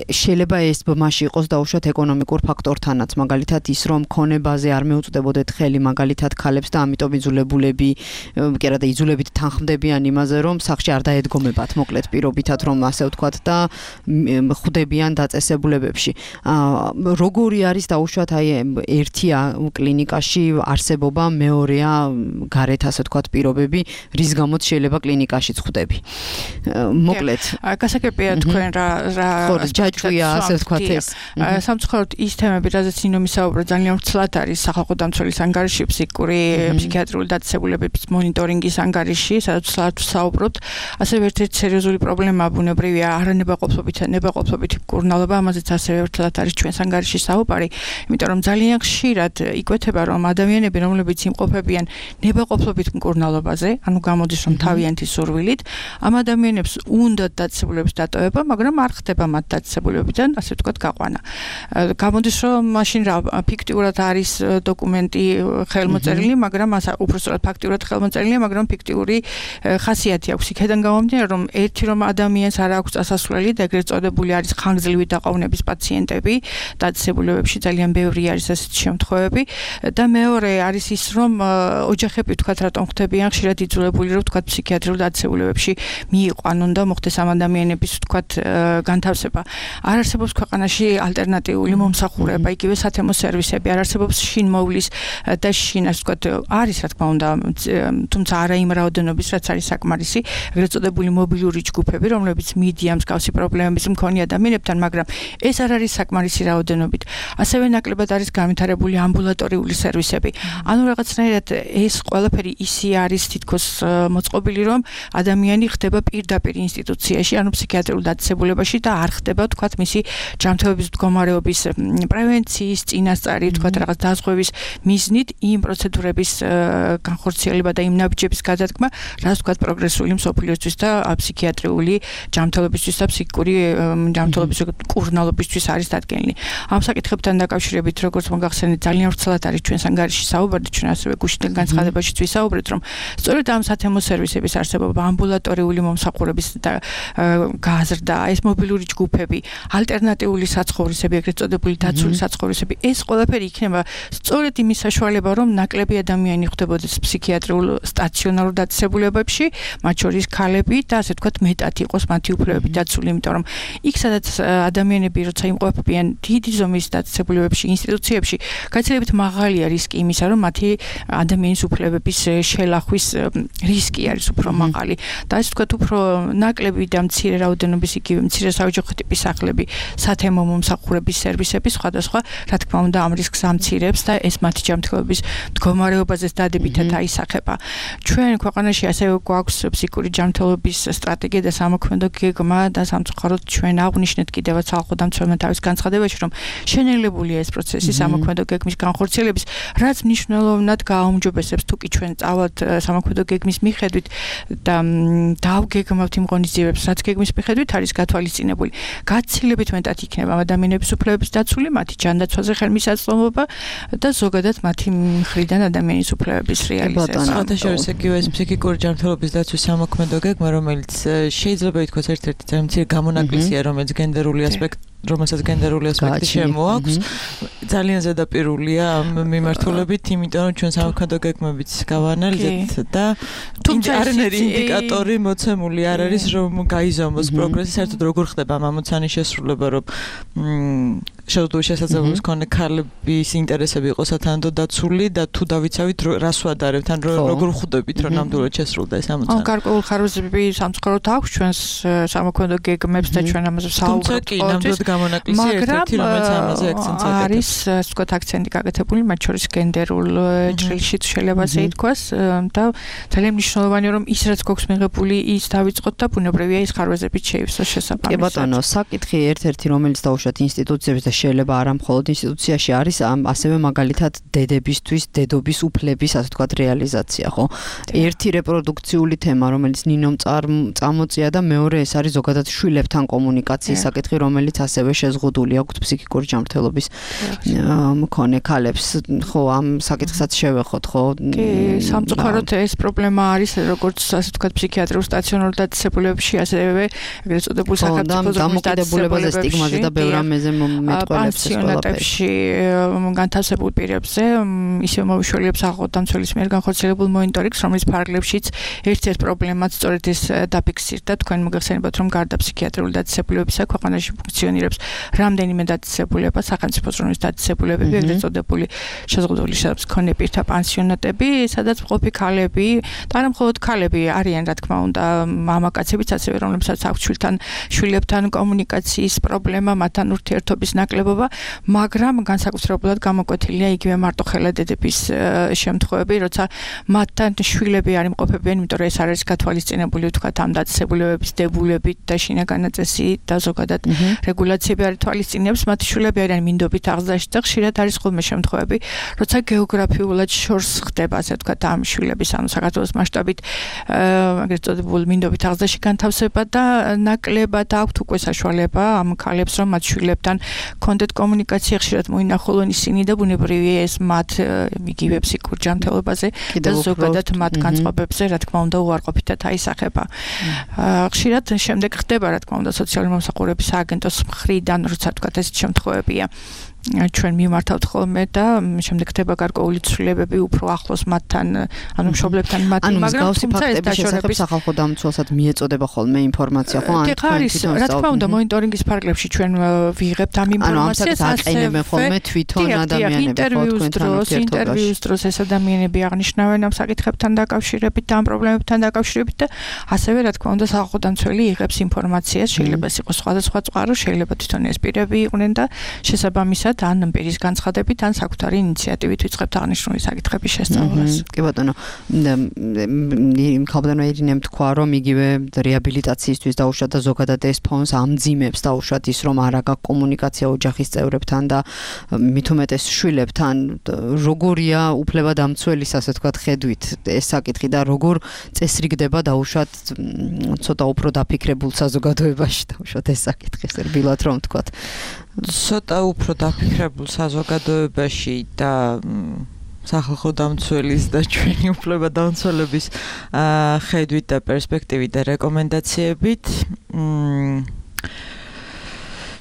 შეიძლება ეს ბმაში იყოს დაუშვათ ეკონომიკურ ფაქტორთანაც, მაგალითად ის რომ ქონებაზე არ მეუწვდებოდეთ ხელი მაგალითად ქალებს და ამიტომ იძულებულები კი არა და იძულებით თანხმდებიან იმაზე რომ სახში არ დაედგომებათ მოკლედ პირობითად რომ ასე ვთქვათ და ხვდებიან დაწესებულებებში. როგორი არის დაუშვათ აი ერთი კლინიკაში არსებობა, მეორეა გარეთ ასე ვთქვათ პირობები, რის გამოც შეიძლება კლინიკაშიც ხვდები. მოკლედ გასაგებია თქვენ რა რა ჯაჭვია ასე ვთქვათ ეს. სამწუხაროდ ის თემები, რაზეც ინომი საუბრა, ძალიან ვრცლად არის სახალხო დამცველის ანგარიში, ფსიქიკური, ფსიქიატრიული დაწესებულებების მონიტორინგის ანგარიში, სადაც საუბრობთ. ასევე ერთ-ერთი სერიოზული პრობლემა ბუნებრივია არანებაყოფლობითა ნებაყოფლობითი მკურნალობა, ამაზეც ასევე ვრცლად არის ჩვენს ანგარიში საუბარი, იმიტომ რომ ძალიან ხშირად იკვეთება, რომ ადამიანები, რომლებიც იმყოფებიან ნებაყოფლობით მკურნალობაზე, ანუ გამოდის რომ თავიანთი სურვილით, ამ ადამიანებს უნდათ დაწესებულების დატოვება, მაგრამ არ ხდება მათ დაწესებულებიდან, ასე ვთქვათ, გაყვანა. გამოდის რომ მაშინ რა ფიქტიურად არის დოკუმენტი ხელმოწერილი, მაგრამ უბრალოდ ფაქტიურად ხელმოწერილია, მაგრამ ფიქტიური ხასიათი აქვს. იქედან გამომდინარე, რომ ერთი რომ ადამიანს არ აქვს წასასვლელი და ეგრეთ წოდებული არის ხანგრძლივი დაყოვნების პაციენტები, დაწესებულებებში ძალიან ბევრი არის ასეთი შემთხვევები და მეორე არის ის, რომ ოჯახები ვთქვათ, რატომ ხდებიან ხშირად იძულებული, რომ ვთქვათ, ფსიქიატრიულ დაწესებულებებში მიიყვანონ და მოხდეს ამ ადამიანების ვთქვათ განთავსება. არ არსებობს ქვეყანაში ალტერნატიული მომსახურება, იგივე სათემო სერვისები, არ არსებობს შინმოვლის და შინ ასე ვთქვათ, არის რა თქმა უნდა, თუმცა არა იმ რაოდენობის, რაც არის საკმარისი, ეგრეთ წოდებული მობილური ჯგუფები, რომლებიც მიდიან მსგავსი პრობლემების მქონე ადამიანებთან, მაგრამ ეს არ არის საკმარისი რაოდენობით. ასევე ნაკლებად არის განვითარებული ამბულატორიული სერვისები. ანუ რაღაცნაირად ეს ყველაფერი ისე არის თითქოს მოწყობილი, რომ ადამიანი ხდება პირდაპირ ინსტიტუციაში, ანუ ფსიქიატრიულ დაწესებულებაში და არ ხდება, თქვათ, მისი ჯანმრთელობის მდგომარეობის პრევენციის წინასწარი, თქვათ, რაღაც დაზღვევის მიზნით იმ პროცედურების განხორციელება და იმ ნაბიჯების გადადგმა, რაც თქვათ პროგრესული მსოფლიოსთვის და ფსიქიატრიული ჯანმრთელობისთვის და ფსიქიკური ჯანმრთელობის მკურნალობისთვის არის დადგენილი. ამ საკითხებთან დაკავშირებით, როგორც მოგახსენეთ, ძალიან ვრცლად არის ჩვენს ანგარიში საუბარი, ჩვენ ასევე გუშინდელ განცხადებაშიც ვისაუბრეთ, რომ სწორედ ამ სათემო სერვისების არსებობა, ამბულატორიული მომსახურების გაზრდა, ეს მობილური ჯგუფები, ალტერნატიული საცხოვრისები, ეგრეთ წოდებული დაცული საცხოვრისები, ეს ყველაფერი იქნება სწორედ იმის საშუალება, რომ ნაკლები ადამიანი ხვდებოდეს ფსიქიატრიულ სტაციონარულ დაწესებულებებში, მათ შორის ქალები და ასე ვთქვათ, მეტად იყოს მათი უფლებები დაცული, იმიტომ რომ იქ სადაც ადამიანები როცა იმყოფებიან დიდი ზომის დაწესებულებებში, ინსტიტუციებში, გაცილებით მაღალია რისკი იმისა, რომ მათი ადამიანის უფლებების შელახვის რისკი არის უფრო მაღალი. და ასე ვთქვათ, უფრო ნაკლები და მცირე რაოდენობის იგივე მცირე საოჯახო ტიპის სახლები, სათემო მომსახურების სერვისები სხვადასხვა, რა თქმა უნდა, ამ რისკს ამცირებს და ეს მათი ჯანმრთელობის მდგომარეობაზეც დადებითად აისახება. ჩვენ ქვეყანაში ასევე გვაქვს ფსიქიკური ჯანმრთელობის სტრატეგია და სამოქმედო გეგმა და სამწუხაროდ ჩვენ აღვნიშნეთ კიდევაც ხალხო დამცველმა თავის განცხადებაში, რომ შენელებულია ეს პროცესი სამოქმედო გეგმის განხორციელების, რაც მნიშვნელოვნად გააუმჯობესებს თუ კი ჩვენ წავალთ სამოქმედო გეგმის მიხედვით და დავგეგმავთ იმ ღონისძიებებს, რაც გეგმის მიხედვით არის გათვალისწინებული. გაცილებით მეტად იქნება ადამიანების უფლებების დაცული, მათი ჯანდაცვაზე ხელმისაწვდომობა და ზოგადად მათი მხრიდან ადამიანის უფლებების რეალიზება. საერთაშორისო იგივე ეს ფსიქიკური ჯანმრთელობის დაცვის სამოქმედო გეგმა, რომელიც შეიძლება ითქვას ერთ-ერთი ძალიან მცირე გამონაკლისია, რომელიც გენდერული ასპექტი რომელსაც გენდერული ასპექტი შემოაქვს, ძალიან ზედაპირულია ამ მიმართულებით, იმიტომ რომ ჩვენ სამოქმედო გეგმებიც გავანალიზეთ და არანაირი ინდიკატორი მოცემული არ არის, რომ გაიზომოს პროგრესი, საერთოდ როგორ ხდება ამ ამოცანის შესრულება, რომ შეზღუდული შესაძლებლობის მქონე ქალების ინტერესები იყოს სათანადო დაცული და თუ დავიცავით რას ვადარებთ, ან როგორ ხვდებით, რომ ნამდვილად შესრულდა ეს ამოცანა. გარკვეულ ხარვეზები სამწუხაროდ აქვს ჩვენს სამოქმედო გეგმებს და ჩვენ ამაზე საუბრობთ. გამონაკლისი ერთ-ერთი რომელიც ამაზე აქცენტს აკეთებს. არის ასე ვთქვათ აქცენტი გაკეთებული მათ შორის გენდერულ ჭრილშიც შეიძლება ასე ითქვას და ძალიან მნიშვნელოვანია რომ ის რაც გვაქვს მიღებული ის დავიწყოთ და ბუნებრივია ის ხარვეზებით შეივსოს შესაბამისად. კი ბატონო, საკითხი ერთ-ერთი რომელიც დაუშვათ ინსტიტუციებს და შეიძლება არა მხოლოდ ინსტიტუციაში არის ასევე მაგალითად დედებისთვის დედობის უფლების ასე ვთქვათ რეალიზაცია, ხო? ერთი რეპროდუქციული თემა რომელიც ნინომ წამოწია და მეორე ეს არის ზოგადად შვილებთან კომუნიკაციის საკითხი რომელიც ასევე შეზღუდული აქვს ფსიქიკური ჯანმრთელობის მქონე ქალებს. ხო, ამ საკითხსაც შევეხოთ, ხო? კი, სამწუხაროდ ეს პრობლემა არის როგორც ასე ვთქვათ ფსიქიატრიულ სტაციონარულ დაწესებულებებში, ასევე ეგრეთ წოდებულ სახელმწიფო დამოკიდებულებაზე, სტიგმაზე და ბევრ ამაზე მეტყველებს ეს პანსიონატებში განთავსებულ პირებზე, ისევ მოვიშველიებს აღოთამცველის მიერ განხორციელებულ მონიტორინგს, რომლის ფარგლებშიც ერთ-ერთ პრობლემაც სწორედ ეს დაფიქსირდა. თქვენ მოგეხსენებათ, რომ გარდა ფსიქიატრიული დაწესებულებისა ქვეყანაში ფუნქციონირებს რამდენიმე დაწესებულება, სახელმწიფო ზრუნვის დაწესებულებები, ეგრეთ წოდებული შეზღუდული შესაძლებლობის მქონე პირთა პანსიონატები, სადაც მყოფი ქალები და არა მხოლოდ ქალები არიან, რა თქმა უნდა, მამაკაცებიც ასევე, რომლებსაც აქვს შვილთან, შვილებთან კომუნიკაციის პრობლემა, მათთან ურთიერთობის ნაკლებობა, მაგრამ განსაკუთრებულად გამოკვეთილია იგივე მარტოხელა დედების შემთხვევები, როცა მათთან შვილები არ იმყოფებიან, იმიტომ რომ ეს არის გათვალისწინებული, ვთქვათ, ამ დაწესებულებების დებულებით და შინაგანი წესით და ზოგადად რეგულაციები არ თვალისწინებს, მათი შვილები არიან მინდობით აღზრდაში და ხშირად არის ხოლმე შემთხვევები, როცა გეოგრაფიულად შორს ხდება, ასე ვთქვათ, ამ შვილების, ანუ საქართველოს მასშტაბით, ეგრეთ წოდებულ მინდობით აღზრდაში განთავსება და ნაკლებად აქვთ უკვე საშუალება ამ ქალებს, რომ მათ შვილებთან კონდეთ კომუნიკაცია ხშირად მოინახულონ ისინი და ბუნებრივია ეს მათ იგივე ფსიქიკურ ჯანმრთელობაზე და ზოგადად მათ განწყობებზე, რა თქმა უნდა, უარყოფითად აისახება. ხშირად შემდეგ ხდება, რა თქმა უნდა, სოციალური მომსახურების სააგენტოს მხრიდან, როცა თქვათ ეს შემთხვევებია. ჩვენ მიმართავთ ხოლმე და შემდეგ ხდება გარკვეული ცვლილებები უფრო ახლოს მათთან, ანუ მშობლებთან მათი, მაგრამ თუმცა ეს დაშორების სახალხო დამცველსაც მიეწოდება ხოლმე ინფორმაცია, ხო? ან არის, რა თქმა უნდა, მონიტორინგის ფარგლებში ჩვენ ვიღებთ ამ ინფორმაციას, აყენებენ ხოლმე თვითონ ადამიანები, ინტერვიუს დროს, ინტერვიუს დროს ეს ადამიანები აღნიშნავენ ამ საკითხებთან დაკავშირებით და ამ პრობლემებთან დაკავშირებით და ასევე, რა თქმა უნდა, სახალხო დამცველი იღებს ინფორმაციას, შეიძლება ეს იყოს სხვადასხვა წყარო, შეიძლება თვითონ ეს პირები იყვნენ და შესაბამისად ან პირის განცხადებით, ან საკუთარი ინიციატივით ვიწყებთ აღნიშნული საკითხების შესწავლას. კი ბატონო, იმ ხალხთან ერინემ თქვა, რომ იგივე რეაბილიტაციისთვის დაუშვათ და ზოგადად ეს ფონს ამძიმებს დაუშვათ ის, რომ არ აქვს კომუნიკაცია ოჯახის წევრებთან და მით უმეტეს შვილებთან, როგორია უფლებადამცველის, ასე ვთქვათ, ხედვით ეს საკითხი და როგორ წესრიგდება დაუშვათ ცოტა უფრო დაფიქრებულ საზოგადოებაში დაუშვათ ეს საკითხი, რბილად რომ ვთქვათ. ცოტა უფრო დაფიქრებულ საზოგადოებაში და სახალხო დამცველის და ჩვენი უფლებადამცველების ხედვით და პერსპექტივით და რეკომენდაციებით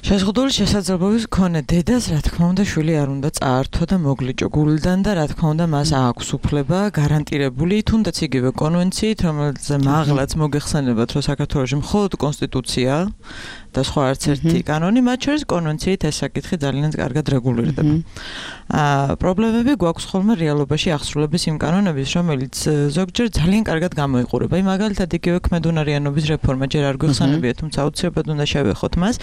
შეზღუდული შესაძლებლობის მქონე დედას, რა თქმა უნდა, შვილი არ უნდა წაართვა და მოგლიჭო გულიდან და რა თქმა უნდა, მას აქვს უფლება გარანტირებული, თუნდაც იგივე კონვენციით, რომელიც მაღლაც მოგეხსენებათ, რომ საქართველოში მხოლოდ კონსტიტუცია და სხვა არც ერთი კანონი, მათ შორის კონვენციით ეს საკითხი ძალიან კარგად რეგულირდება. აა პრობლემები გვაქვს ხოლმე რეალობაში აღსრულების იმ კანონების, რომელიც ზოგჯერ ძალიან კარგად გამოიყურება. აი მაგალითად იგივე ქმედუნარიანობის რეფორმა ჯერ არ გვეხსენებია, თუმცა აუცილებლად უნდა შევეხოთ მას.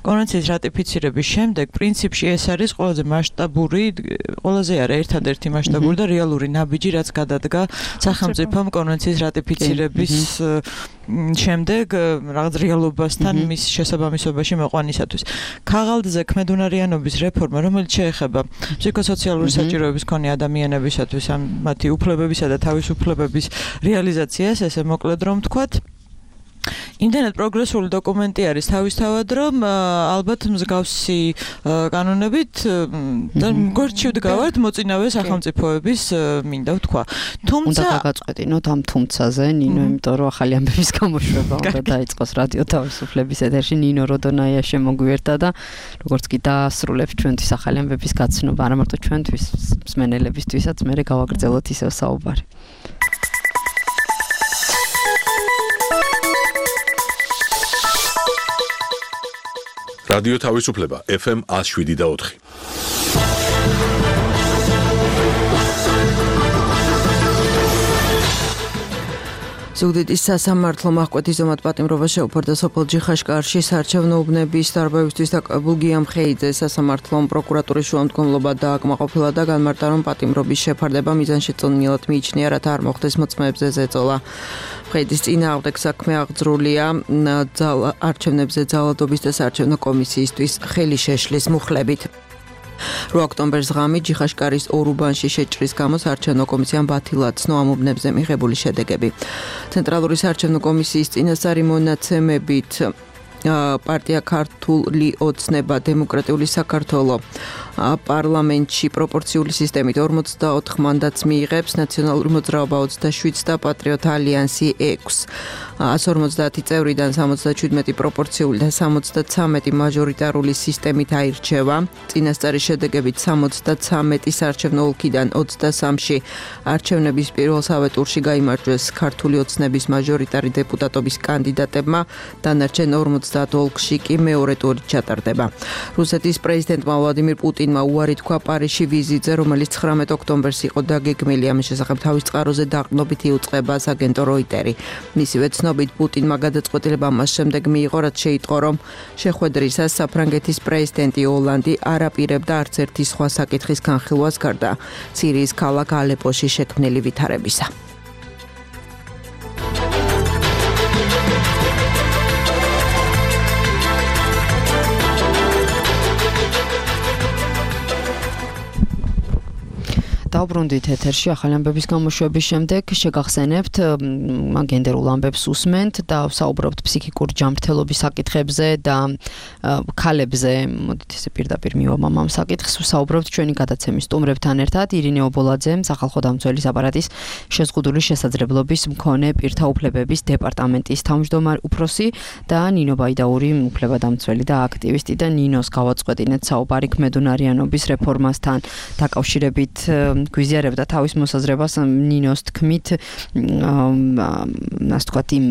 კონვენციის რატიფიცირების შემდეგ პრინციპში ეს არის ყველაზე მასშტაბური, ყველაზე არა ერთადერთი მასშტაბური და რეალური ნაბიჯი, რაც გადადგა სახელმწიფომ კონვენციის რატიფიცირების შემდეგ რაღაც რეალობასთან მის შესაბამისობაში მოყვანისათვის. ქაღალდზე ქმედუნარიანობის რეფორმა, რომელიც შეეხება ფსიქოსოციალური საჭიროების მქონე ადამიანებისათვის ამ მათი უფლებებისა და თავისუფლებების რეალიზაციას, ესე მოკლედ რომ ვთქვათ, იმდენად პროგრესული დოკუმენტი არის თავისთავად, რომ ალბათ მსგავსი კანონებით და გვერდში ვდგავართ მოწინავე სახელმწიფოების მინდა ვთქვა. თუმცა უნდა გაგაწყვეტინოთ ამ თუმცაზე, ნინო, იმიტომ რომ ახალი ამბების გამოშვება უნდა დაიწყოს რადიო თავისუფლების ეთერში. ნინო როდონაია შემოგვიერთა და როგორც კი დაასრულებს ჩვენთვის ახალი ამბების გაცნობა, არა მარტო ჩვენთვის, მსმენელებისთვისაც, მე გავაგრძელოთ ისევ საუბარი. რადიო თავისუფლება ეფ ემ one oh seven და four. ზუგდიდის სასამართლო მაჰკვეთის ზომად პატიმრობა შეუფერდა სოფელ ჯიხაშკარში საარჩევნო უბნების დარბევისთვის დაკავებულ გია მხეიძეს. სასამართლომ პროკურატურის შუამდგომლობა დააკმაყოფილა და განმარტა, რომ პატიმრობის შეფარდება მიზანშეწონილად მიიჩნია, რათა არ მოხდეს მოწმეებზე ზეწოლა. მხეიძის წინააღმდეგ საქმე აღძრულია არჩევნებზე ძალადობის და საარჩევნო კომისიისთვის ხელი შეშლის მუხლებით. რვა ოქტომბერს ღამით ჯიხაშკარის ორ უბანში შეჭრის გამო საარჩევნო კომისიამ ბათილად ცნო ამ უბნებზე მიღებული შედეგები. ცენტრალური საარჩევნო კომისიის წინასწარი მონაცემებით პარტია ქართული ოცნება დემოკრატიული საქართველო პარლამენტში პროპორციული სისტემით ორმოცდაოთხ მანდატს მიიღებს, ნაციონალური მოძრაობა ოცდაშვიდს და პატრიოტ ალიანსი ექვსს. one forty წევრიდან seventy-seven პროპორციული და seventy-three მაჟორიტარული სისტემით აირჩევა. წინასწარი შედეგებით seventy-three საარჩევნო ოლქიდან ოცდასამში არჩევნების პირველსავე ტურში გაიმარჯვეს ქართული ოცნების მაჟორიტარი დეპუტატობის კანდიდატებმა, დანარჩენ forty ოლქში კი მეორე ტური ჩატარდება. რუსეთის პრეზიდენტმა ვლადიმირ პუტინმა უარი თქვა პარიზში ვიზიტზე, რომელიც ცხრამეტ ოქტომბერს იყო დაგეგმილი. ამის შესახებ თავის წყაროზე დაყრდნობით იუწყება აგენტო როიტერი. მისივე ცნობით პუტინმა გადაწყვეტილება მას შემდეგ მიიღო, რაც შეიტყო, რომ შეხვედრისას საფრანგეთის პრეზიდენტი ოლანდი არ აპირებდა არც ერთი სხვა საკითხის განხილვას გარდა სირიის ქალაქ ალეპოში შექმნილი ვითარებისა. დავბრუნდით ეთერში ახალი ამბების გამოშვების შემდეგ შეგახსენებთ გენდერულ ამბებს უსმენთ და საუბრობთ ფსიქიკურ ჯანმრთელობის საკითხებზე და ქალებზე. მოდით ესე პირდაპირ მივამამ ამ საკითხს. საუბრობთ ჩვენი გადაცემის სტუმრებთან ერთად. ირინე ობოლაძე, სახალხო დამცველის აპარატის შეზღუდული შესაძლებლობის მქონე პირთა უფლებების დეპარტამენტის თავმჯდომარე უფროსი და ნინო ბაიდაური, უფლებადამცველი და აქტივისტი და ნინოს გავაწყვეტინეთ საუბარი ქმედუნარიანობის რეფორმასთან დაკავშირებით. გვიზიარებდა თავის მოსაზრებას ნინოს თქმით, ასე ვთქვათ, იმ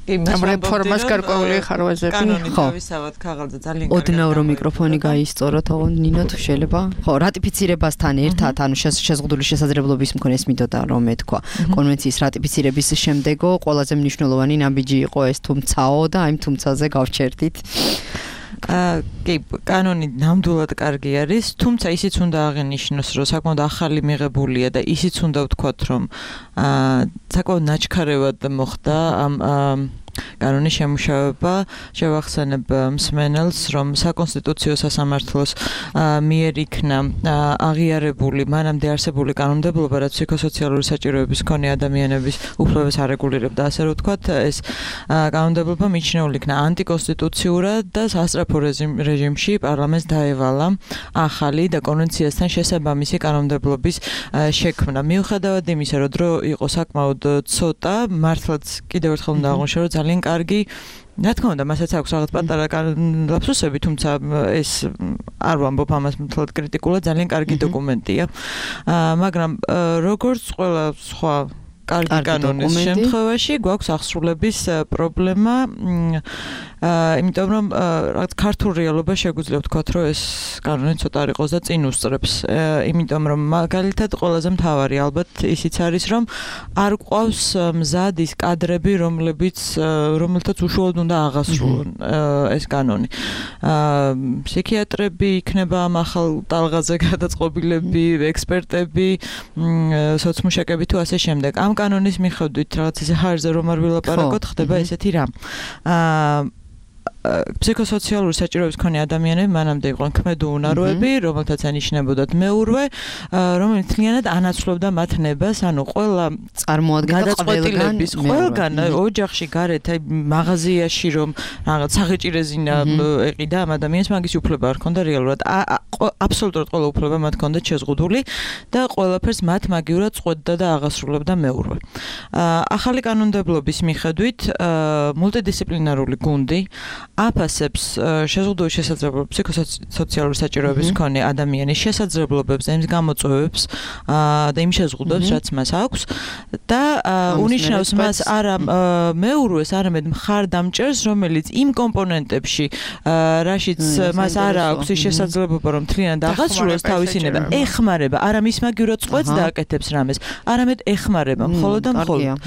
იმ რეფორმას გარკვეული ხარვეზები. ხო, თავისავად ქაღალდზე ძალიან ოდნავ რომ მიკროფონი გაისწოროთ, ხო, ნინო თუ შეიძლება. ხო, რატიფიცირებასთან ერთად, ანუ შეზღუდული შესაძლებლობის მქონე ეს მინდოდა რომ ეთქვა. კონვენციის რატიფიცირების შემდეგო ყველაზე მნიშვნელოვანი ნაბიჯი იყო ეს თუმცაო და აი თუმცაზე გავჩერდით. კი, კანონი ნამდვილად კარგი არის, თუმცა ისიც უნდა აღინიშნოს, რომ საკმაოდ ახალი მიღებულია და ისიც უნდა ვთქვათ, რომ საკმაოდ ნაჩქარევად მოხდა ამ კანონის შემუშავება. შევახსენებ მსმენელს, რომ საკონსტიტუციო სასამართლოს მიერ იქნა აღიარებული მანამდე არსებული კანონმდებლობა, რაც ფსიქოსოციალური საჭიროების მქონე ადამიანების უფლებებს არეგულირებდა, ასე რომ ვთქვათ, ეს კანონმდებლობა მიჩნეული იქნა ანტიკონსტიტუციურად და სასწრაფო რეჟიმში პარლამენტს დაევალა ახალი და კონვენციასთან შესაბამისი კანონმდებლობის შექმნა. მიუხედავად იმისა, რომ დრო იყო საკმაოდ ცოტა, მართლაც კიდევ ერთხელ უნდა აღვნიშნო, რომ ძალიან კარგი, რა თქმა უნდა, მასაც აქვს რაღაც პატარა ლაფსუსები, თუმცა ეს არ ვამბობ ამას მთლად კრიტიკულად, ძალიან კარგი დოკუმენტია. მაგრამ როგორც ყველა სხვა კარგი კანონის შემთხვევაში გვაქვს აღსრულების პრობლემა, იმიტომ რომ რაღაც ქართულ რეალობა შეგვიძლია ვთქვათ, რომ ეს კანონი ცოტა არ იყოს და წინ უსწრებს. იმიტომ რომ მაგალითად ყველაზე მთავარი ალბათ ისიც არის, რომ არ გვყავს მზად ის კადრები, რომლებიც რომელთაც უშუალოდ უნდა აღასრულონ ეს კანონი. ფსიქიატრები იქნება ამ ახალ ტალღაზე გადაწყობილები, ექსპერტები, სოციმუშაკები თუ ასე შემდეგ. ამ კანონის მიხედვით რაღაც ისე ჰაერზე რომ არ ვილაპარაკოთ, ხდება ესეთი რამ. ფსიქოსოციალური საჭიროების მქონე ადამიანები მანამდე იყვნენ ქმედუუნაროები, რომელთაც ანიშნებოდათ მეურვე, რომელიც თლიანად ანაცვლებდა მათ ნებას, ანუ ყველა წარმოადგენდა გადაწყვეტილების ყველგან ოჯახში გარეთ, აი მაღაზიაში რომ რაღაც საღეჭირეზინა ეყიდა ამ ადამიანს, მაგის უფლება არ ჰქონდა რეალურად. აბსოლუტურად ყველა უფლება მათ ჰქონდათ შეზღუდული და ყველაფერს მათ მაგივრად წყვეტდა და აღასრულებდა მეურვე. ახალი კანონმდებლობის მიხედვით მულტიდისციპლინარული გუნდი აფასებს შეზღუდული შესაძლებლობების ფსიქოსოციალური საჭიროების მქონე ადამიანის შესაძლებლობებს, იმ გამოწვევებს და იმ შეზღუდვებს, რაც მას აქვს და უნიშნავს მას არა მეურვეს, არამედ მხარდამჭერს, რომელიც იმ კომპონენტებში, რაშიც მას არ აქვს ის შესაძლებლობა, რომ თლიანად აღასრულოს თავისი ნება, ეხმარება, არა მის მაგივრად წყვეტს და აკეთებს რამეს, არამედ ეხმარება მხოლოდ და მხოლოდ.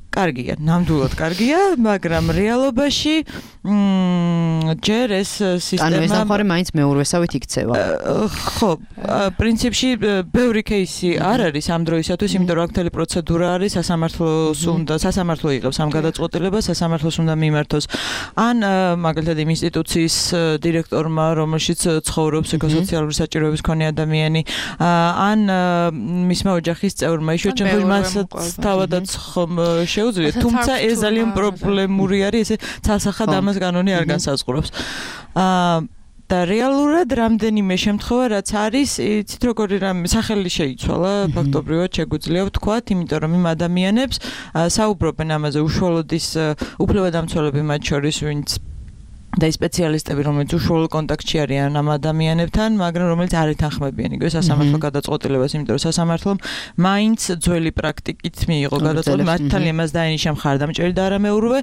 კარგია, ნამდვილად კარგია, მაგრამ რეალობაში ჯერ ეს სისტემა ანუ ეს ახალი მაინც მეურვესავით იქცევა. ხო, პრინციპში ბევრი кейსი არ არის ამ დროისათვის, იმიტომ რომ აქ მთელი პროცედურა არის, სასამართლოს უნდა, სასამართლო იღებს ამ გადაწყვეტილებას, სასამართლოს უნდა მიმართოს ან მაგალითად იმ ინსტიტუციის დირექტორმა, რომელშიც ცხოვრობს ფსიქოსოციალური საჭიროების მქონე ადამიანი, ან მისმა ოჯახის წევრმა, იშვიათად მასაც თავადაც ხომ შეუძლია, თუმცა ეს ძალიან პრობლემური არის, ესე ცალსახად ამას კანონი არ განსაზღვრავს. აა და რეალურად რამდენიმე შემთხვევა რაც არის, იცით როგორი რამე სახელი შეიცვალა, ფაქტობრივად შეგვიძლია ვთქვათ, იმიტომ რომ იმ ადამიანებს საუბრობენ ამაზე უშუალოდ ის უფლებადამცველები მათ შორის, ვინც და ის სპეციალისტები, რომელიც უშუალო კონტაქტში არიან ამ ადამიანებთან, მაგრამ რომელიც არ ეთანხმებიან იგივე სასამართლო გადაწყვეტილებას, იმიტომ რომ სასამართლომ მაინც ძველი პრაქტიკით მიიღო გადაწყვეტილება, მართალია იმას დაენიშნა მხარდამჭერი და არა მეურვე,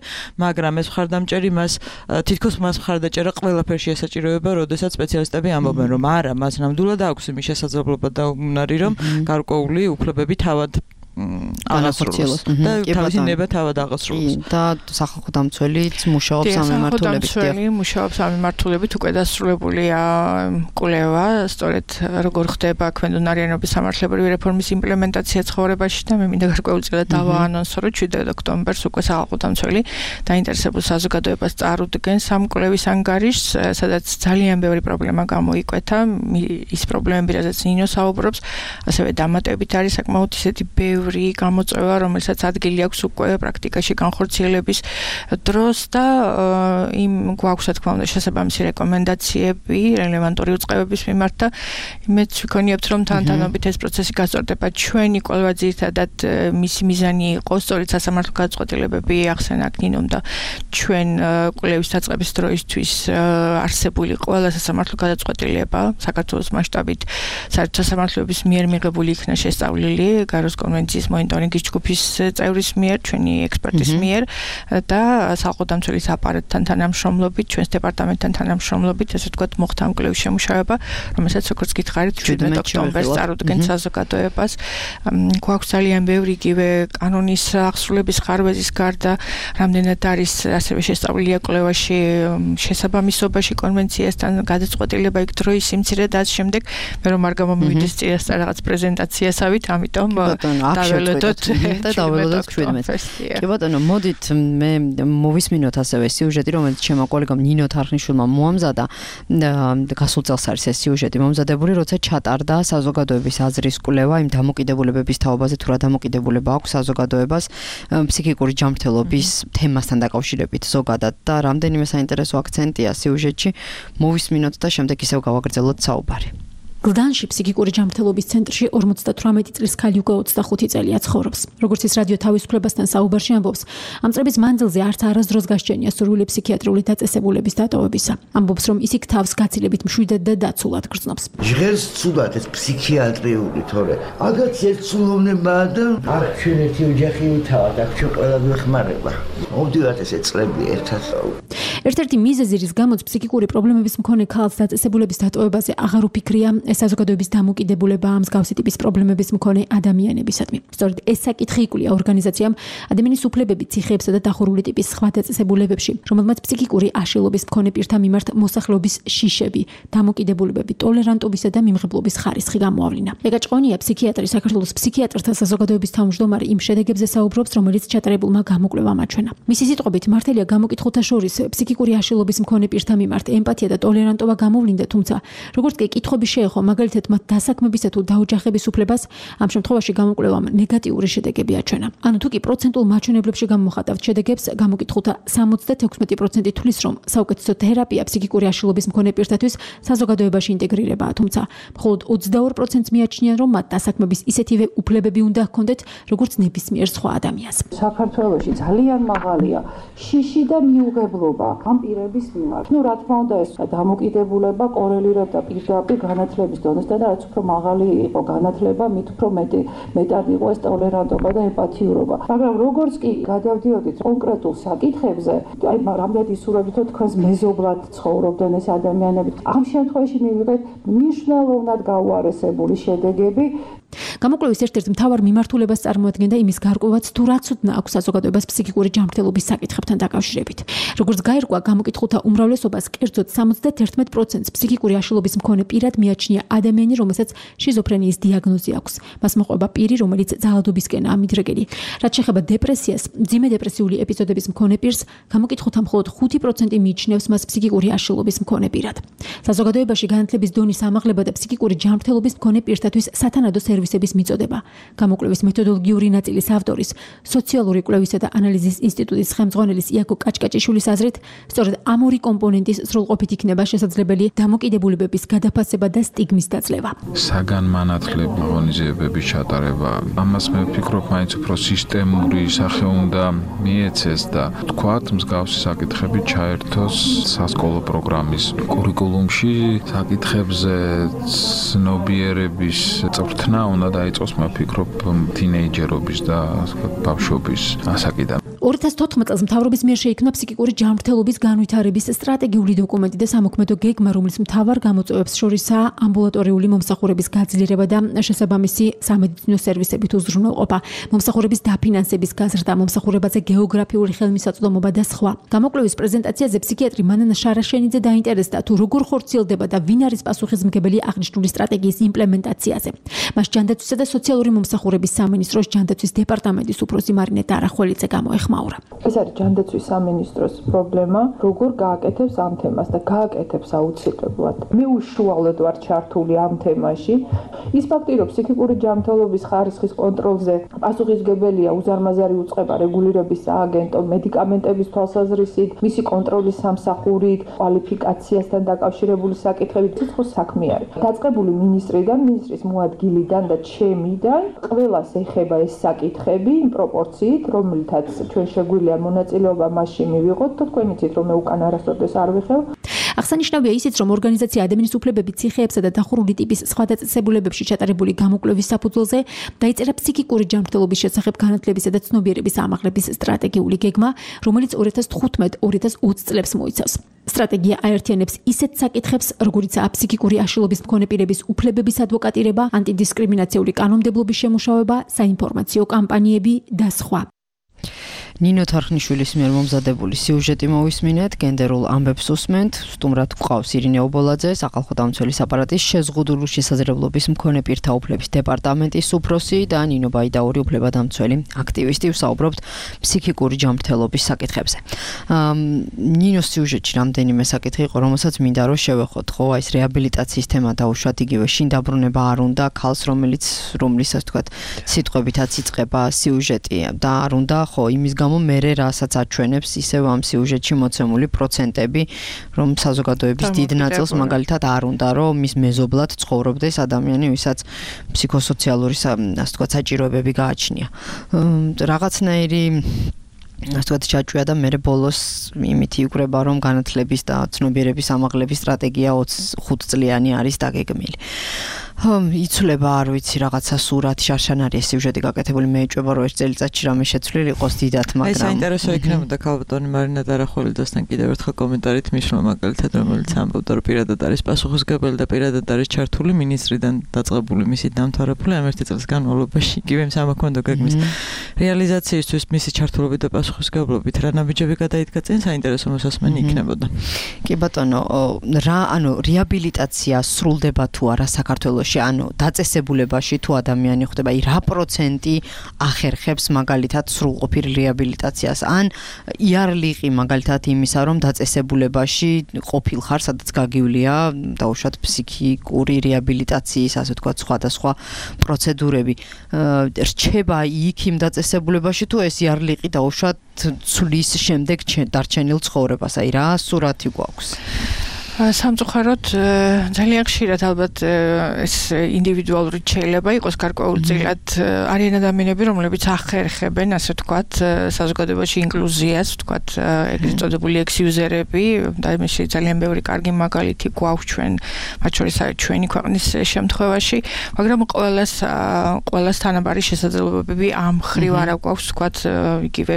მაგრამ ეს მხარდამჭერი მას თითქოს მას მხარდაჭერა ყველაფერში ესაჭიროება, როდესაც სპეციალისტები ამბობენ, რომ არა, მას ნამდვილად აქვს იმის შესაძლებლობა და უნარი, რომ გარკვეული უფლებები თავად აღასრულოს და თავისი ნება თავად აღასრულოს. და სახალხო დამცველიც მუშაობს ამ მიმართულებით. დამცველი მუშაობს ამ მიმართულებით, უკვე დასრულებულია კვლევა, სწორედ როგორ ხდება ქმედუნარიანობის სამართლებრივი რეფორმის იმპლემენტაცია ცხოვრებაში და მე მინდა გარკვეულწილად დავაანონსო, რომ შვიდმეტ ოქტომბერს უკვე სახალხო დამცველი დაინტერესებულ საზოგადოებას წარუდგენს ამ კვლევის ანგარიშს, სადაც ძალიან ბევრი პრობლემა გამოიკვეთა, ის პრობლემები, რაზეც ნინო საუბრობს, ასევე დამატებით არის საკმაოდ ისეთი ბევრი გამოწვევა, რომელსაც ადგილი აქვს უკვე პრაქტიკაში განხორციელების დროს და იმ გვაქვს, რა თქმა უნდა, შესაბამისი რეკომენდაციები რელევანტური უწყებების მიმართ და მეც ვიქონიებთ, რომ თანთანობით ეს პროცესი გასწორდება. ჩვენი კვლევა ძირითადად მისი მიზანი იყო, სწორედ სასამართლო გადაწყვეტილებები ახსენა ნინომ და ჩვენ კვლევის დაწყების დროისთვის არსებული ყველა სასამართლო გადაწყვეტილება საქართველოს მასშტაბით საერთო სასამართლოების მიერ მიღებული იქნა შესწავლილი გაროს კონვენციის მონიტორინგის ჯგუფის წევრის მიერ, ჩვენი ექსპერტის მიერ და სახალხო დამცველის აპარატთან თანამშრომლობით, ჩვენს დეპარტამენტთან თანამშრომლობით, ესე ვთქვათ, მოხდა ამ კვლევის შემუშავება, რომელსაც როგორც გითხარით, შვიდმეტ ოქტომბერს წარუდგენს საზოგადოებას. გვაქვს ძალიან ბევრი იგივე კანონის აღსრულების ხარვეზის გარდა, რამდენად არის ასევე შესწავლილია კვლევაში შესაბამისობაში კონვენციასთან გადაწყვეტილება იქ დროის სიმცირე და ამ შემდეგ, მე რომ არ გამომივიდეს წინასწარ რაღაც პრეზენტაციასავით, ამიტომ დაველოდოთ და დაველოდოთ შვიდმეტს. კი ბატონო, მოდით მე მოვისმინოთ ასევე სიუჟეტი, რომელიც ჩემო კოლეგამ ნინო თარხნიშვილმა მოამზადა. გასულ წელს არის ეს სიუჟეტი მომზადებული, როცა ჩატარდა საზოგადოების აზრის კვლევა იმ დამოკიდებულებების თაობაზე, თუ რა დამოკიდებულება აქვს საზოგადოებას ფსიქიკური ჯანმრთელობის თემასთან დაკავშირებით ზოგადად და რამდენიმე საინტერესო აქცენტია სიუჟეტში. მოვისმინოთ და შემდეგ ისევ გავაგრძელოთ საუბარი. გლდანში ფსიქიკური ჯანმრთელობის ცენტრში ორმოცდათვრამეტი წლის ქალი უკვე ოცდახუთი წელია ცხოვრობს. როგორც ის რადიო თავისუფლებასთან საუბარში ამბობს, ამ წლების მანძილზე არც არასდროს გასჯენია სურვილი ფსიქიატრიული დაწესებულების დატოვებისა. ამბობს, რომ ის იქ თავს გაცილებით მშვიდად და დაცულად გრძნობს. ჟღერს ცუდად ეს ფსიქიატრიული, თორე აგაც ერთსულოვნებაა და აქ ჩვენ ერთი ოჯახი ვითავად, აქ ჩვენ ყველა გვეხმარება. მოვდივართ ესე წლები ერთად. ერთ-ერთი მიზეზი, რის გამოც ფსიქიკური პრობლემების მქონე ქალს დაწესებულების დატოვებაზე აღარ უფიქრია, საზოგადოების დამოკიდებულება ამ მსგავსი ტიპის პრობლემების მქონე ადამიანებისადმი. სწორედ ეს საკითხი იკვლია ორგანიზაციამ ადამიანის უფლებები ციხეებსა და დახურული ტიპის სხვა დაწესებულებებში, რომელმაც ფსიქიკური აშლილობის მქონე პირთა მიმართ მოსახლეობის შიშები, დამოკიდებულებები, ტოლერანტობისა და მიმღებლობის ხარისხი გამოავლინა. ეკა ჭყონია, ფსიქიატრი, საქართველოს ფსიქიატრთა საზოგადოების თავმჯდომარე, იმ შედეგებზე საუბრობს, რომელიც ჩატარებულმა გამოკვლევამ აჩვენა. მისი სიტყვებით, მართალია გამოკითხულთა შორის ფსიქიკური აშლილობის მქონე პირთა მიმართ ემპათია და ტოლერანტობა გამოვლინდა, თუმცა როგორც კი კითხვები შეეხო, მაგალითად მათ დასაქმებისა თუ დაოჯახების უფლებას, ამ შემთხვევაში გამოკვლევამ ნეგატიური შედეგები აჩვენა. ანუ თუ კი პროცენტულ მაჩვენებლებში გამოვხატავთ შედეგებს, გამოკითხულთა სამოცდათექვსმეტი პროცენტი თვლის, რომ საუკეთესო თერაპია ფსიქიკური აშლილობის მქონე პირთათვის საზოგადოებაში ინტეგრირებაა, თუმცა მხოლოდ ოცდაორ პროცენტს მიაჩნიან, რომ მათ დასაქმების ისეთივე უფლებები უნდა ჰქონდეთ, როგორც ნებისმიერ სხვა ადამიანს. საქართველოში ძალიან მაღალია შიში და მიუღებლობა ამ პირების მიმართ. ნუ რა თქმა უნდა, ეს დამოკიდებულება კორელირებდა პირდაპირ განათლების დონესთან და რაც უფრო მაღალი იყო განათლება, მით უფრო მეტი მეტად იყო ეს ტოლერანტობა და ემპათიურობა. მაგრამ როგორც კი გადავდიოდით კონკრეტულ საკითხებზე, აი რამდენად ისურვებდით, რომ თქვენს მეზობლად ცხოვრობდნენ ეს ადამიანები. ამ შემთხვევაში მივიღეთ მნიშვნელოვნად გაუარესებული შედეგები. გამოკვლევის ერთ-ერთ მთავარ მიმართულებას წარმოადგენდა იმის გარკვევაც, თუ რა ცოდნა აქვს საზოგადოებას ფსიქიკური ჯანმრთელობის საკითხებთან დაკავშირებით. როგორც გაირკვა, გამოკითხულთა უმრავლესობას, კერძოდ სამოცდაერთმეტ პროცენტს ფსიქიკური აშლილობის მქონე პირად მიაჩნია ადამიანი, რომელსაც შიზოფრენიის დიაგნოზი აქვს. მას მოყვება პირი, რომელიც ძალადობისკენაა მიდრეგელი. რაც შეეხება დეპრესიას, მძიმე დეპრესიული ეპიზოდების მქონე პირს, გამოკითხულთა მხოლოდ ხუთი პროცენტი მიიჩნევს მას ფსიქიკური აშლილობის მქონე პირად. საზოგადოებაში განათლების დონის ამაღლება და ფსიქიკური ჯანმრთელობის მქონე პირთათვის სათანადო სერვისების მიწოდება. გამოკვლევის მეთოდოლოგიური ნაწილის ავტორის, სოციალური კვლევისა და ანალიზის ინსტიტუტის ხელმძღვანელის იაკო კაჭკაჭიშვილის აზრით, სწორედ ამ ორი კომპონენტის სრულყოფით იქნება შესაძლებელი დამოკიდებულებების გადაფასება და სტიგმის დაძლევა. საგანმანათლებლო ღონისძიებების ჩატარება, ამას მე ვფიქრობ, მაინც უფრო სისტემური სახე უნდა მიეცეს და თქვათ, მსგავსი საკითხები ჩაერთოს სასკოლო პროგრამის კურიკულუმში, საკითხებზე ცნობიერების წვრთნა უნდა დაიწყოს, მე ვფიქრობ, თინეიჯერობის და ბავშვობის ასაკიდან. ორი ათას თოთხმეტ წელს მთავრობის მიერ შეიქმნა ფსიქიკური ჯანმრთელობის განვითარების სტრატეგიული დოკუმენტი და სამოქმედო გეგმა, რომლის მთავარ გამოწვევებს შორისაა ამბულატორიული მომსახურების გაძლიერება და შესაბამისი სამედიცინო სერვისებით უზრუნველყოფა, მომსახურების დაფინანსების გაზრდა, მომსახურებაზე გეოგრაფიული ხელმისაწვდომობა და სხვა. გამოკვლევის პრეზენტაციაზე ფსიქიატრი მანანა შარაშენიძე დაინტერესდა, თუ როგორ ხორციელდება და ვინ არის პასუხისმგებელი აღნიშნული სტრატეგიის იმპლემენტაციაზე. მას ჯანდაცვისა და სოციალური მომსახურების სამინისტროს ჯანდაცვის დეპარტამენტის უფროსი მარინე დარახველიძე გამოეხმაურა. ეს არის ჯანდაცვის სამინისტროს პრობლემა, როგორ გააკეთებს ამ თემას და გააკეთებს აუცილებლად. მე უშუალოდ ვარ ჩართული ამ თემაში. ის ფაქტი, რომ ფსიქიკური ჯანმრთელობის ხარისხის კონტროლზე პასუხისმგებელია უზარმაზარი უწყება რეგულირების სააგენტო, მედიკამენტების თვალსაზრისით, მისი კონტროლის სამსახურით, კვალიფიკაციასთან დაკავშირებული საკითხებით, ცოცხლ საქმე არის. დაწყებული მინისტრიდან, მინისტრის მოადგილიდან და ჩემიდან ყველას ეხება ეს საკითხები იმ პროპორციით, რომლითაც ჩვენ შეგვიძლია მონაწილეობა მასში მივიღოთ, თქვენ იცით, რომ მე უკან არასოდეს არ ვიხევ. აღსანიშნავია ისიც, რომ ორგანიზაცია ადამიანის უფლებების ციხეებსა და დახურული ტიპის სხვა დაწესებულებებში ჩატარებული გამოკვლევის საფუძველზე დაიწერა ფსიქიკური ჯანმრთელობის შესახებ განათლებისა და ცნობიერების ამაღლების სტრატეგიული გეგმა, რომელიც ორი ათას თხუთმეტ ორი ათას ოცი წლებს მოიცავს. სტრატეგია აერთიანებს ისეთ საკითხებს, როგორიცაა ფსიქიკური აშლილობის მქონე პირების უფლებების ადვოკატირება, ანტიდისკრიმინაციული კანონმდებლობის შემუშავება, საინფორმაციო კამპანიები და სხვა. ნინო თარხნიშვილის მიერ მომზადებული სიუჟეტი მოვისმინეთ, გენდერულ ამბებს უსმენთ, სტუმრად გვყავს ირინე ობოლაძე, სახალხო დამცველის აპარატის შეზღუდული შესაძლებლობის მქონე პირთა უფლების დეპარტამენტის უფროსი და ნინო ბაიდაური უფლებადამცველი აქტივისტი. ვსაუბრობთ ფსიქიკური ჯანმრთელობის საკითხებზე. ნინოს სიუჟეტში რამდენიმე საკითხი იყო, რომელსაც მინდა რომ შევეხოთ, ხო, აი ეს რეაბილიტაციის თემა დაუშვათ, იგივე შინ დაბრუნება არ უნდა ქალს, რომელიც რომლისას თქვათ, სიტყვებითაც იწყება სიუჟეტი და არ უნდა, ხო, იმის გამო მერე რასაც აჩვენებს ისევ ამ სიუჟეტში მოცემული პროცენტები, რომ საზოგადოების დიდ ნაწილს მაგალითად არ უნდა, რომ მის მეზობლად ცხოვრობდეს ადამიანი, ვისაც ფსიქოსოციალური, ასე ვთქვათ, საჭიროებები გააჩნია. რაღაცნაირი ასე ვთქვათ, ჩაჭვია და მერე ბოლოს იმით იკვრება, რომ განათლების და ცნობიერების ამაღლების სტრატეგია ოცი წლიანი არის დაგეგმილი. იცვლება, არ ვიცი, რაღაცა სურათი შარშანარია სიუჟეტი გაკეთებული, მე ეჭვება, რომ ერთ წელიწადში რამე შეცვლილი იყოს დიდად, მაგრამ აი საინტერესო იქნებოდა ქალბატონი მარინა დარახველიძესთან კიდევ ერთხელ კომენტარით მისვლა, მაგალითად, რომელიც ამბობდა, რომ პირადად არის პასუხისმგებელი და პირადად არის ჩართული მინისტრიდან დაწყებული მისი დამთავრებული ამ ერთი წლის განმავლობაში, იგივე სამოქმედო გეგმის რეალიზაციისთვის მისი ჩართულობით და პასუხისმგებლობით რა ნაბიჯები გადაიდგა წინ, საინტერესო მოსასმენი იქნებოდა. კი ბატონო, რა, ანუ რეაბილიტაცია სრულდება თუ არა საქართველოში? საქართველოში, ანუ დაწესებულებაში თუ ადამიანი ხვდება, აი რა პროცენტი ახერხებს მაგალითად სრულყოფილ რეაბილიტაციას, ან იარლიყი მაგალითად იმისა, რომ დაწესებულებაში ყოფილ ხარ, სადაც გაგივლია დაუშვათ ფსიქიკური რეაბილიტაციის, ასე ვთქვათ, სხვადასხვა პროცედურები. რჩება იქ იმ დაწესებულებაში თუ ეს იარლიყი დაუშვათ ცulis შემდეგ დარჩენილ ცხოვრებას, აი რა სურათი გვაქვს? სამწუხაროდ ძალიან ხშირად ალბათ ეს ინდივიდუალური შეიძლება იყოს გარკვეულწილად არიან ადამიანები, რომლებიც ახერხებენ, ასე ვთქვათ, საზოგადოებაში ინკლუზიას, ვთქვათ, ეგრეთ წოდებული ექს-იუზერები და იმაში ძალიან ბევრი კარგი მაგალითი გვაქვს ჩვენ, მათ შორის არის ჩვენი ქვეყნის შემთხვევაში, მაგრამ ყველას ყველას თანაბარი შესაძლებლობები ამ ხრივ არ აქვს, ვთქვათ, იგივე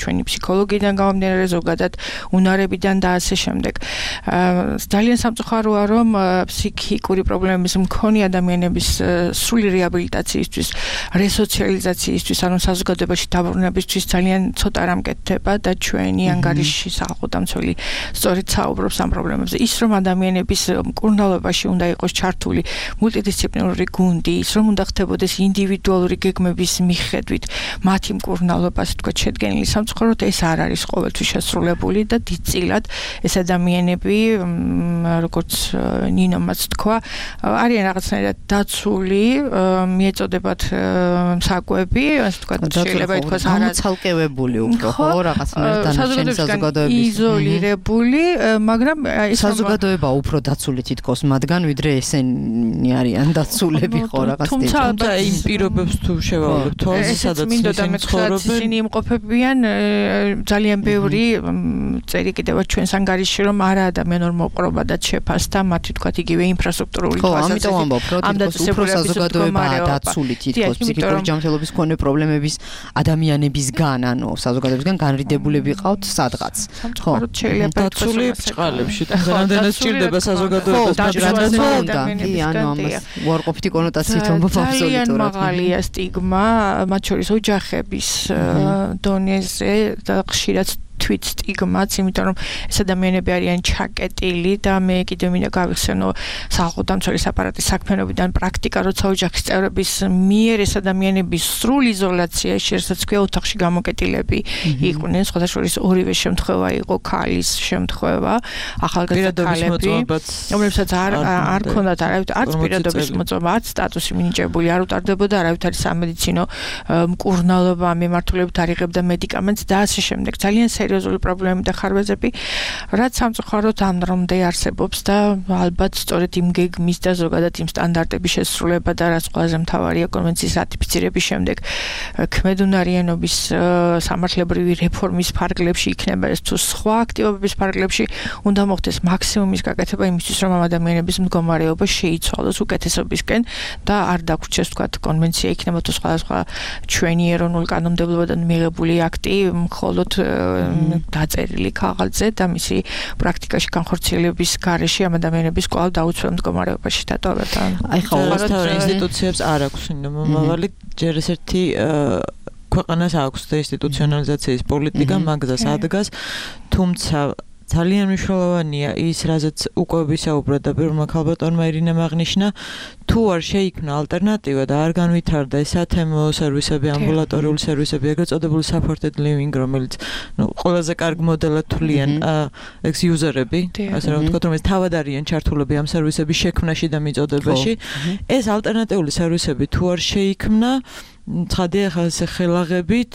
ჩვენი ფსიქოლოგიდან გამომდინარე, ზოგადად უნარებიდან და ასე შემდეგ. ძალიან სამწუხაროა, რომ ფსიქიკური პრობლემების მქონე ადამიანების სრული რეაბილიტაციისთვის, რესოციალიზაციისთვის, ანუ საზოგადოებაში დაბრუნებისთვის ძალიან ცოტა რამ კეთდება და ჩვენი ანგარიში სახელმწიფო სწორედ საუბრობს ამ პრობლემებზე. ის რომ ადამიანების მკურნალობაში უნდა იყოს ჩართული მულტიდისციპლინარული გუნდი, ის რომ უნდა ხდებოდეს ინდივიდუალური გეგმების მიხედვით მათი მკურნალობა, ასე ვთქვათ, შედგენილი სამწუხაროდ ეს არ არის ყოველთვის შესრულებული და დიდწილად ეს ადამიანები როგორც ნინომაც თქვა, არიან რაღაცნაირად დაცული, მიეწოდებათ საკვები, ასე ვთქვათ, შეიძლება ითქვას გამოცალკევებული უფრო, ხო, რაღაცნაირად დანარჩენი საზოგადოების იზოლირებული, მაგრამ ეს საზოგადოება უფრო დაცული თითქოს მათგან, ვიდრე ესენი არიან დაცულები, ხო, რაღაც თუმცა თუმცა იმ პირობებს თუ შევავლებთ, თო სადაც ისინი ცხოვრობენ, ისინი იმყოფებიან ძალიან ბევრი წერი კიდევ ჩვენს ანგარიშში, რომ არა ადამიანურ მოპყრობადაც შეფასდა მათი თქვათ იგივე ინფრასტრუქტურული თვალსაზრისით. ხო, ამიტომ ამბობ, რომ თითქოს უფრო საზოგადოებაა დაცული თითქოს ფსიქიკური ჯანმრთელობის მქონე პრობლემების ადამიანებისგან, ანუ საზოგადოებისგან განრიდებულები ყავთ სადღაც. ხო, შეიძლება დაცული ბრჭყალებში, რამდენად სჭირდება საზოგადოებას და კი, ანუ ამას უარყოფითი კონოტაციით ვამბობ აბსოლუტურად. ძალიან მაღალია სტიგმა, მათ შორის ოჯახების დონეზე და ხშირად თვით სტიგმაც, იმიტომ რომ ეს ადამიანები არიან ჩაკეტილი და მე კიდევ მინდა გავიხსენო სახელმწიფო აპარატის საქმიანობიდან პრაქტიკა, როცა ოჯახის წევრების მიერ ეს ადამიანები სრულ იზოლაციაში, რასაც ქვია ოთახში გამოკეტილები იყვნენ, სხვადასხვა ორივე შემთხვევა იყო ქალის შემთხვევა, ახალგაზრდა ქალები, რომლებსაც არ არ ქონდათ არავითარ არც პირადობის მოწმობა, არც სტატუსი მინიჭებული, არ უტარდებოდა არავითარი სამედიცინო მკურნალობა, მიმართულებით არ იღებდა მედიკამენტს და ასე შემდეგ. ძალიან სერიოზული პრობლემები და ხარვეზები, რაც სამწუხაროდ ამ დრომდე არსებობს და ალბათ სწორედ იმ გეგმის და ზოგადად იმ სტანდარტების შესრულება და რაც ყველაზე მთავარია კონვენციის რატიფიცირების შემდეგ ქმედუნარიანობის სამართლებრივი რეფორმის ფარგლებში იქნება ეს თუ სხვა აქტივობების ფარგლებში უნდა მოხდეს მაქსიმუმის გაკეთება იმისთვის, რომ ამ ადამიანების მდგომარეობა შეიცვალოს უკეთესობისკენ და არ დაგვრჩეს თქვათ კონვენცია იქნება თუ სხვადასხვა ჩვენი ეროვნულ კანონმდებლობიდან მიღებული აქტი მხოლოდ დაწერილი ქაღალდზე და მისი პრაქტიკაში განხორციელების გარეშე ამ ადამიანების კვლავ დაუცველ მდგომარეობაში დატოვება. აი ხო, ყოველ ინსტიტუციებს არ აქვს მომავალი, ჯერ ესეთი ქვეყანას აქვს და ინსტიტუციონალიზაციის პოლიტიკა მაგზას ადგას, თუმცა ძალიან მნიშვნელოვანია ის, რაზეც უკვე ვისაუბრეთ და პირველმა ქალბატონმა ირინემ აღნიშნა, თუ არ შეიქმნა ალტერნატივა და არ განვითარდა ეს სათემო სერვისები, ამბულატორიული სერვისები, ეგრეთ წოდებული supported living, რომელიც ნუ ყველაზე კარგ მოდელად თვლიან ექს-იუზერები, ასე რომ ვთქვათ, რომ ეს თავად არიან ჩართულები ამ სერვისების შექმნაში და მიწოდებაში, ეს ალტერნატიული სერვისები თუ არ შეიქმნა, ცხადია ხა ეს ხელაღებით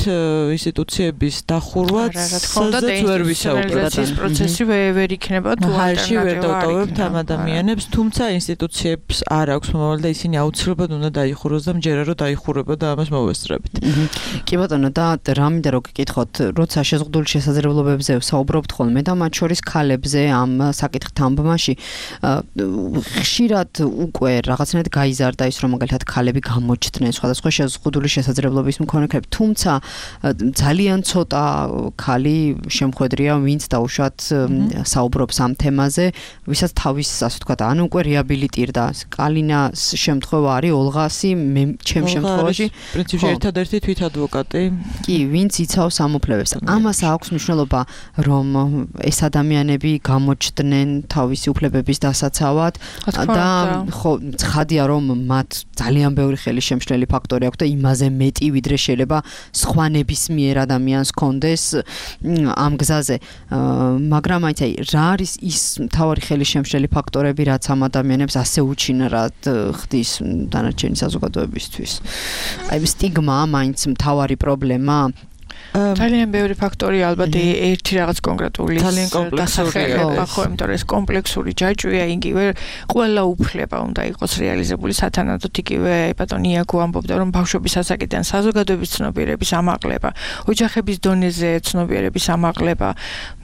ინსტიტუციების დახურვა სადაც ვერ ვისაუბრეთ. ეს პროცესი ვერ იქნება თუ ალტერნატივა ვერ დავტოვებთ ამ ადამიანებს, თუმცა ინსტიტუციებს არ აქვს მომავალი და ისინი აუცილებლად უნდა დაიხუროს და მჯერა რომ დაიხურება და ამას მოვესწრებით. კი ბატონო, და რა მინდა რომ გკითხოთ, როცა შეზღუდული შესაძლებლობებზე საუბრობთ ხოლმე და მათ შორის ქალებზე ამ საკითხით თამბმაში ხშირად უკვე რაღაცნაირად გაიზარდა ის, რომ მაგალითად ქალები გამოჩნდნენ სხვადასხვა შეზღუდული შეზღუდული შესაძლებლობის მქონეები, თუმცა ძალიან ცოტა ქალი შემხედრია, ვინც დაუშვათ საუბრობს ამ თემაზე, ვისაც თავის, ასე ვთქვათ, ან უკვე რეაბილიტირდა. კალინას შემთხვევა არის ოლღასი, მე ჩემ შემთხვევაში პრინციპში ერთადერთი თვითადვოკატი. კი, ვინც იცავს ამ უფლებებს. ამას აქვს მნიშვნელობა, რომ ეს ადამიანები გამოჩნდნენ თავისი უფლებების დასაცავად და ხო, ცხადია, რომ მათ ძალიან ბევრი ხელისშემშლელი ფაქტორი აქვს და იმაზე მეტი, ვიდრე შეიძლება სხვა ნებისმიერ ადამიანს კონდეს ამ გზაზე. მაგრამ აი, რა არის ის მთავარი ხელისშემშლელი ფაქტორები, რაც ამ ადამიანებს ასე უჩინარად ხდის დანარჩენი საზოგადოებისთვის? აი, სტიგმა მაინც მთავარი პრობლემა. ძალიან ბევრი ფაქტორი ალბათ ერთი რაღაც კონკრეტული დასახელება, ხო, იმიტომ რომ ეს კომპლექსური ჯაჭვია, იგივე ყველა უფლება უნდა იყოს რეალიზებული სათანადოდ, იგივე ბატონი იაკო ამბობდა, რომ ბავშვების ასაკიდან საზოგადოების ცნობიერების ამაღლება, ოჯახების დონეზე ცნობიერების ამაღლება,